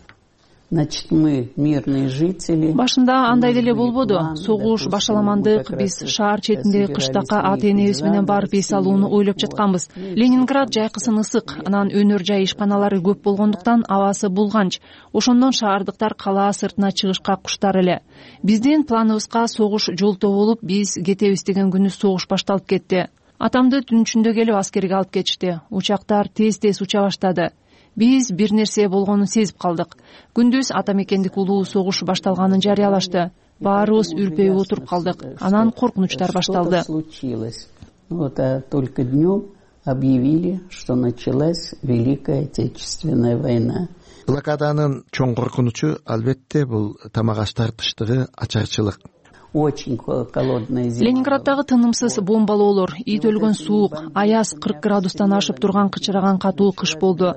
Значит, мы мирные жители. Башында андай деле болбоду. Согуш башталамандык, биз шаар четиндеги кыштакка ата энебиз менен барып эс алууну ойлоп жатканбыз. Ленинград жайкысын ысык, анан өнөр жай ишканалары көп болгондуктан абасы булганч. Ошондон шаардыктар калаа сыртына чыгышка куштар эле. Биздин планыбызга согуш жолтоо болуп, биз кетебиз деген күнү согуш башталып кетти. Атамды түн ичинде келип аскерге алып кетишти. Учактар тез-тез уча баштады. Биз бир нерсе болгонун сезип калдык. Күндүз ата мекендик улуу согуш башталганын жарыялашты. Баарыбыз үрпөйүп отуруп калдык. Анан коркунучтар башталды. Вот только днем объявили, что началась Великая Отечественная война. Блокаданын чоң коркунучу албетте бул тамак аш тартыштыгы, ачарчылык. Очень холодная зима. Ленинграддагы тынымсыз бомбалоолор, ит өлгөн суук, аяз кырк градустан ашып турган кычыраган катуу кыш болду.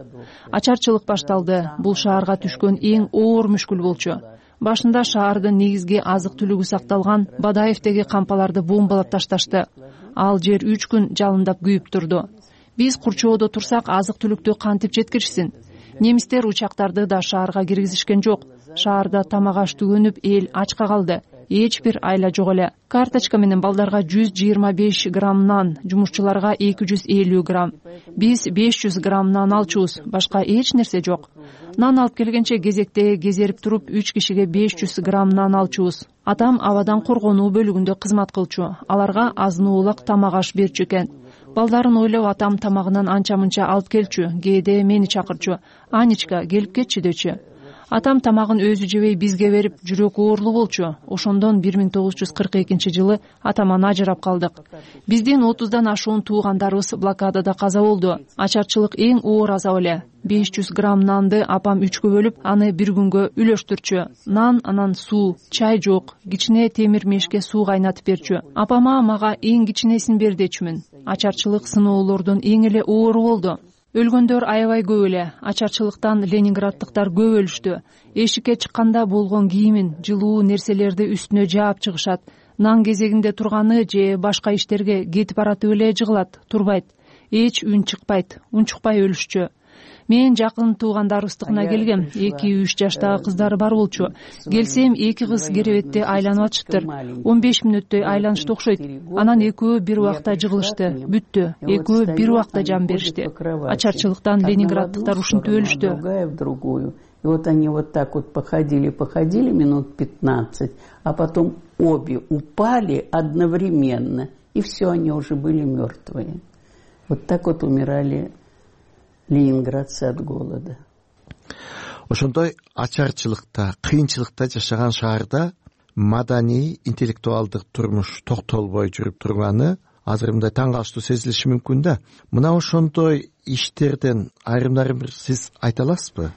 Ачарчылык башталды. Бул шаарга түшкөн эң оор мүшкүл болчу. Башында шаардын негизги азык түлүгү сакталган Бадаевдеги кампаларды бомбалап ташташты. Ал жер үч күн жалындап күйүп турду. Биз Курчоодо турсак, азык түлүктү кантип жеткиришсин? Немистер учактарды да шаарга киргизишкен жок. Шаарда тамак аш түгөнүп, эл ачка калды. Эч бир айла жок эле. Карточка менен балдарга жүз жыйырма беш грамм нан, жумушчуларга эки жүз элүү грамм. Биз беш жүз грамм нан алчубуз, башка эч нерсе жок. Нан алып келгенче кезекте кезерип туруп үч кишиге беш жүз грамм нан алчубуз. Атам абадан коргонуу бөлүгүндө кызмат кылчу. Аларга азын-оолак тамак аш берчү экен. Балдарын ойлоп атам тамагынан анча-мынча алып келчү. Кээде мени чакырчу. Анечка, келип кетчи дөчү. Атам тамагын өзү жебей бизге берип, жүрөк оорлуу болчу. Ошондон бир миң тогуз жүз кырк экинчи жылы атаман ажырап калдык. Биздин отуздан ашуун туугандарыбыз блокадада каза болду. Ачарчылык эң оор азап эле. беш жүз грамм нанды апам үчкө бөлүп, аны бир күнгө үлөштүрчү. Нан, анан суу, чай жок, кичине темир мешке суу кайнатып берчү. Апама мага эң кичинесин бер дечүмүн. Ачарчылык сыноолордун эң эле оору болду. Өлгөндөр аябай көп эле. Ачарчылыктан ленинграддыктар көп өлүштү. Эшикке чыкканда болгон кийимин, жылуу нерселерди үстүнө жаап чыгышат. Нан кезегинде турганы же башка иштерге кетип баратып эле жыгылат, турбайт. Эч үн чыкпайт, унчукпай өлүшчү. Мен жакын туугандарыбыздыкына келгем. эки үч жаштагы кыздары бар болчу. Келсем, эки кыз керебетте айланып атыштыр. он беш мүнөттөй айланышты окшойт. Анан экөө бир убакта жыгылышты, бүттү. Экөө бир убакта жан беришти. Ачарчылыктан ленинграддыктар ушинтип өлүштү. И вот они вот так вот походили, походили минут пятнадцать, а потом обе упали одновременно, и все, они уже были мертвые. Вот так вот умирали ленинградцы от голода. Ошондой ачарчылыкта, кыйынчылыкта жашаган шаарда маданий, интеллектуалдык турмуш токтолбой жүрүп турганы азыр мындай таң калыштуу сезилиши мүмкүн да. Мына ошондой иштерден айрымдарын бир сиз айта аласызбы?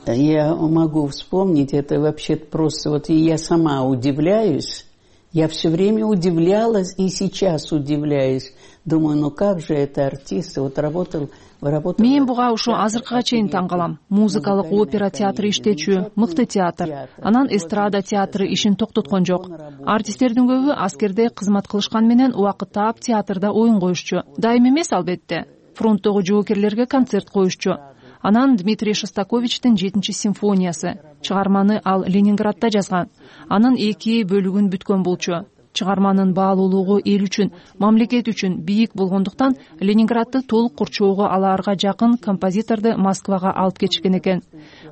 Я могу вспомнить, это вообще просто вот я сама удивляюсь. Я все время удивлялась и сейчас удивляюсь. Думаю, ну как же это артисты, вот работал, работал. Мен буга ушу азыркыга чейин таң калам. Музыкалык опера театры иштечү, мыкты театр. Анан эстрада театры ишин токтоткон жок. Артисттердин көбү аскерде кызмат кылышкан менен убакыт таап театрда оюн коюшчу. Дайым эмес албетте. Фронттогу жоокерлерге концерт коюшчу. Анан Дмитрий Шостаковичтин жетинчи симфониясы. Чыгарманы ал Ленинградда жазган. Анын эки бөлүгүн бүткөн болчу. Чыгарманын баалуулугу эл үчүн, мамлекет үчүн бийик болгондуктан Ленинградды толук курчоого алаарга жакын композиторду Москвага алып кетишкен экен.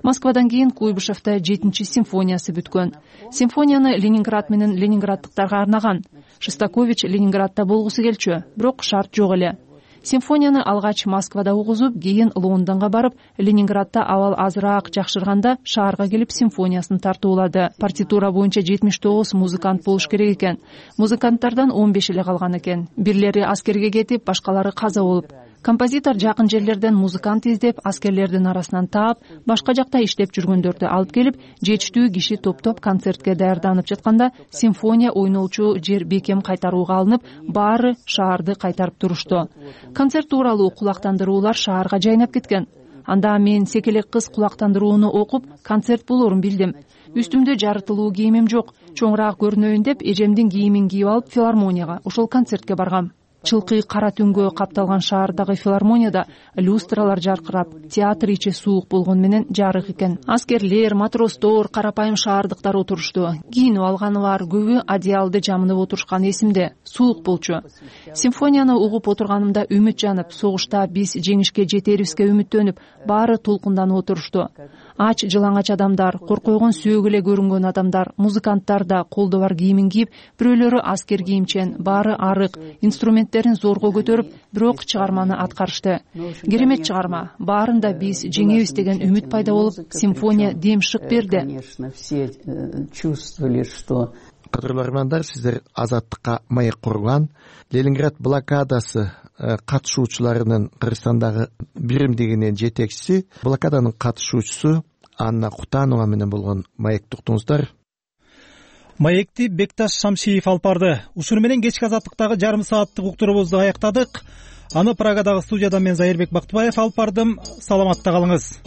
Москвадан кийин Куйбышевда жетинчи симфониясы бүткөн. Симфонияны Ленинград менен ленинграддыктарга арнаган. Шостакович Ленинградда болгусу келчү, бирок шарт жок эле. Симфонияны алгач Москвада угузуп, кийин Лондонго барып, Ленинградда абал азыраак жакшырганда шаарга келип симфониясын тартуулады. Партитура боюнча жетимиш тогуз музыкант болуш керек экен. Музыканттардан он беш эле калган экен. Бирлери аскерге кетип, башкалары каза болуп. Композитор жакын жерлерден музыкант издеп, аскерлердин арасынан таап, башка жакта иштеп жүргөндөрдү алып келип, жетиштүү киши топтоп концертке даярданып жатканда симфония ойнолчу жер бекем кайтарууга алынып, баары шаарды кайтарып турушту. Концерт тууралуу кулактандыруулар шаарга жайнап кеткен. Анда мен секелек кыз кулактандырууну окуп, концерт болорун билдим. Үстүмдө жарытылуу кийимим жок. Чоңураак көрүнөйүн деп эжемдин кийимин кийип алып филармонияга, ошол концертке баргам. Чылкый кара түнгө капталган шаардагы филармонияда люстралар жаркырап, театр ичи суук болгон менен жарык экен. Аскерлер, матростор, карапайым шаардыктар отурушту. Кийинип алганы бар, көбү одеялды жамынып отурушкан эсимде. Суук болчу. Симфонияны угуп отурганымда үмүт жанып, согушта биз жеңишке жетерибизге үмүттөнүп, баары толкунданып отурушту. Ач жылаңач адамдар, коркойгон сөөк эле көрүнгөн адамдар, музыканттар да колдо бар кийимин кийип, бирөөлөрү аскер кийимчен, баары арык, инструменттерин зорго көтөрүп, бирок чыгарманы аткарышты. Керемет чыгарма. Баарында биз жеңебиз деген үмүт пайда болуп, симфония дем шык берди. Конечно, все чувствовали, что кадырлуу армандар, сиздер Азаттыкка маек курган Ленинград блокадасы катышуучуларынын Кыргызстандагы биримдигинин жетекчиси, блокаданын катышуучусу Анна Кутанова менен болгон маекти уктуңуздар. Маекти Бекташ Шамшиев алып барды. Ушуну менен кечки Азаттыктагы жарым сааттык уктуруубузду аяктадык. Аны Прагадагы студиядан мен Зайырбек Бактыбаев алып бардым. Саламатта калыңыз.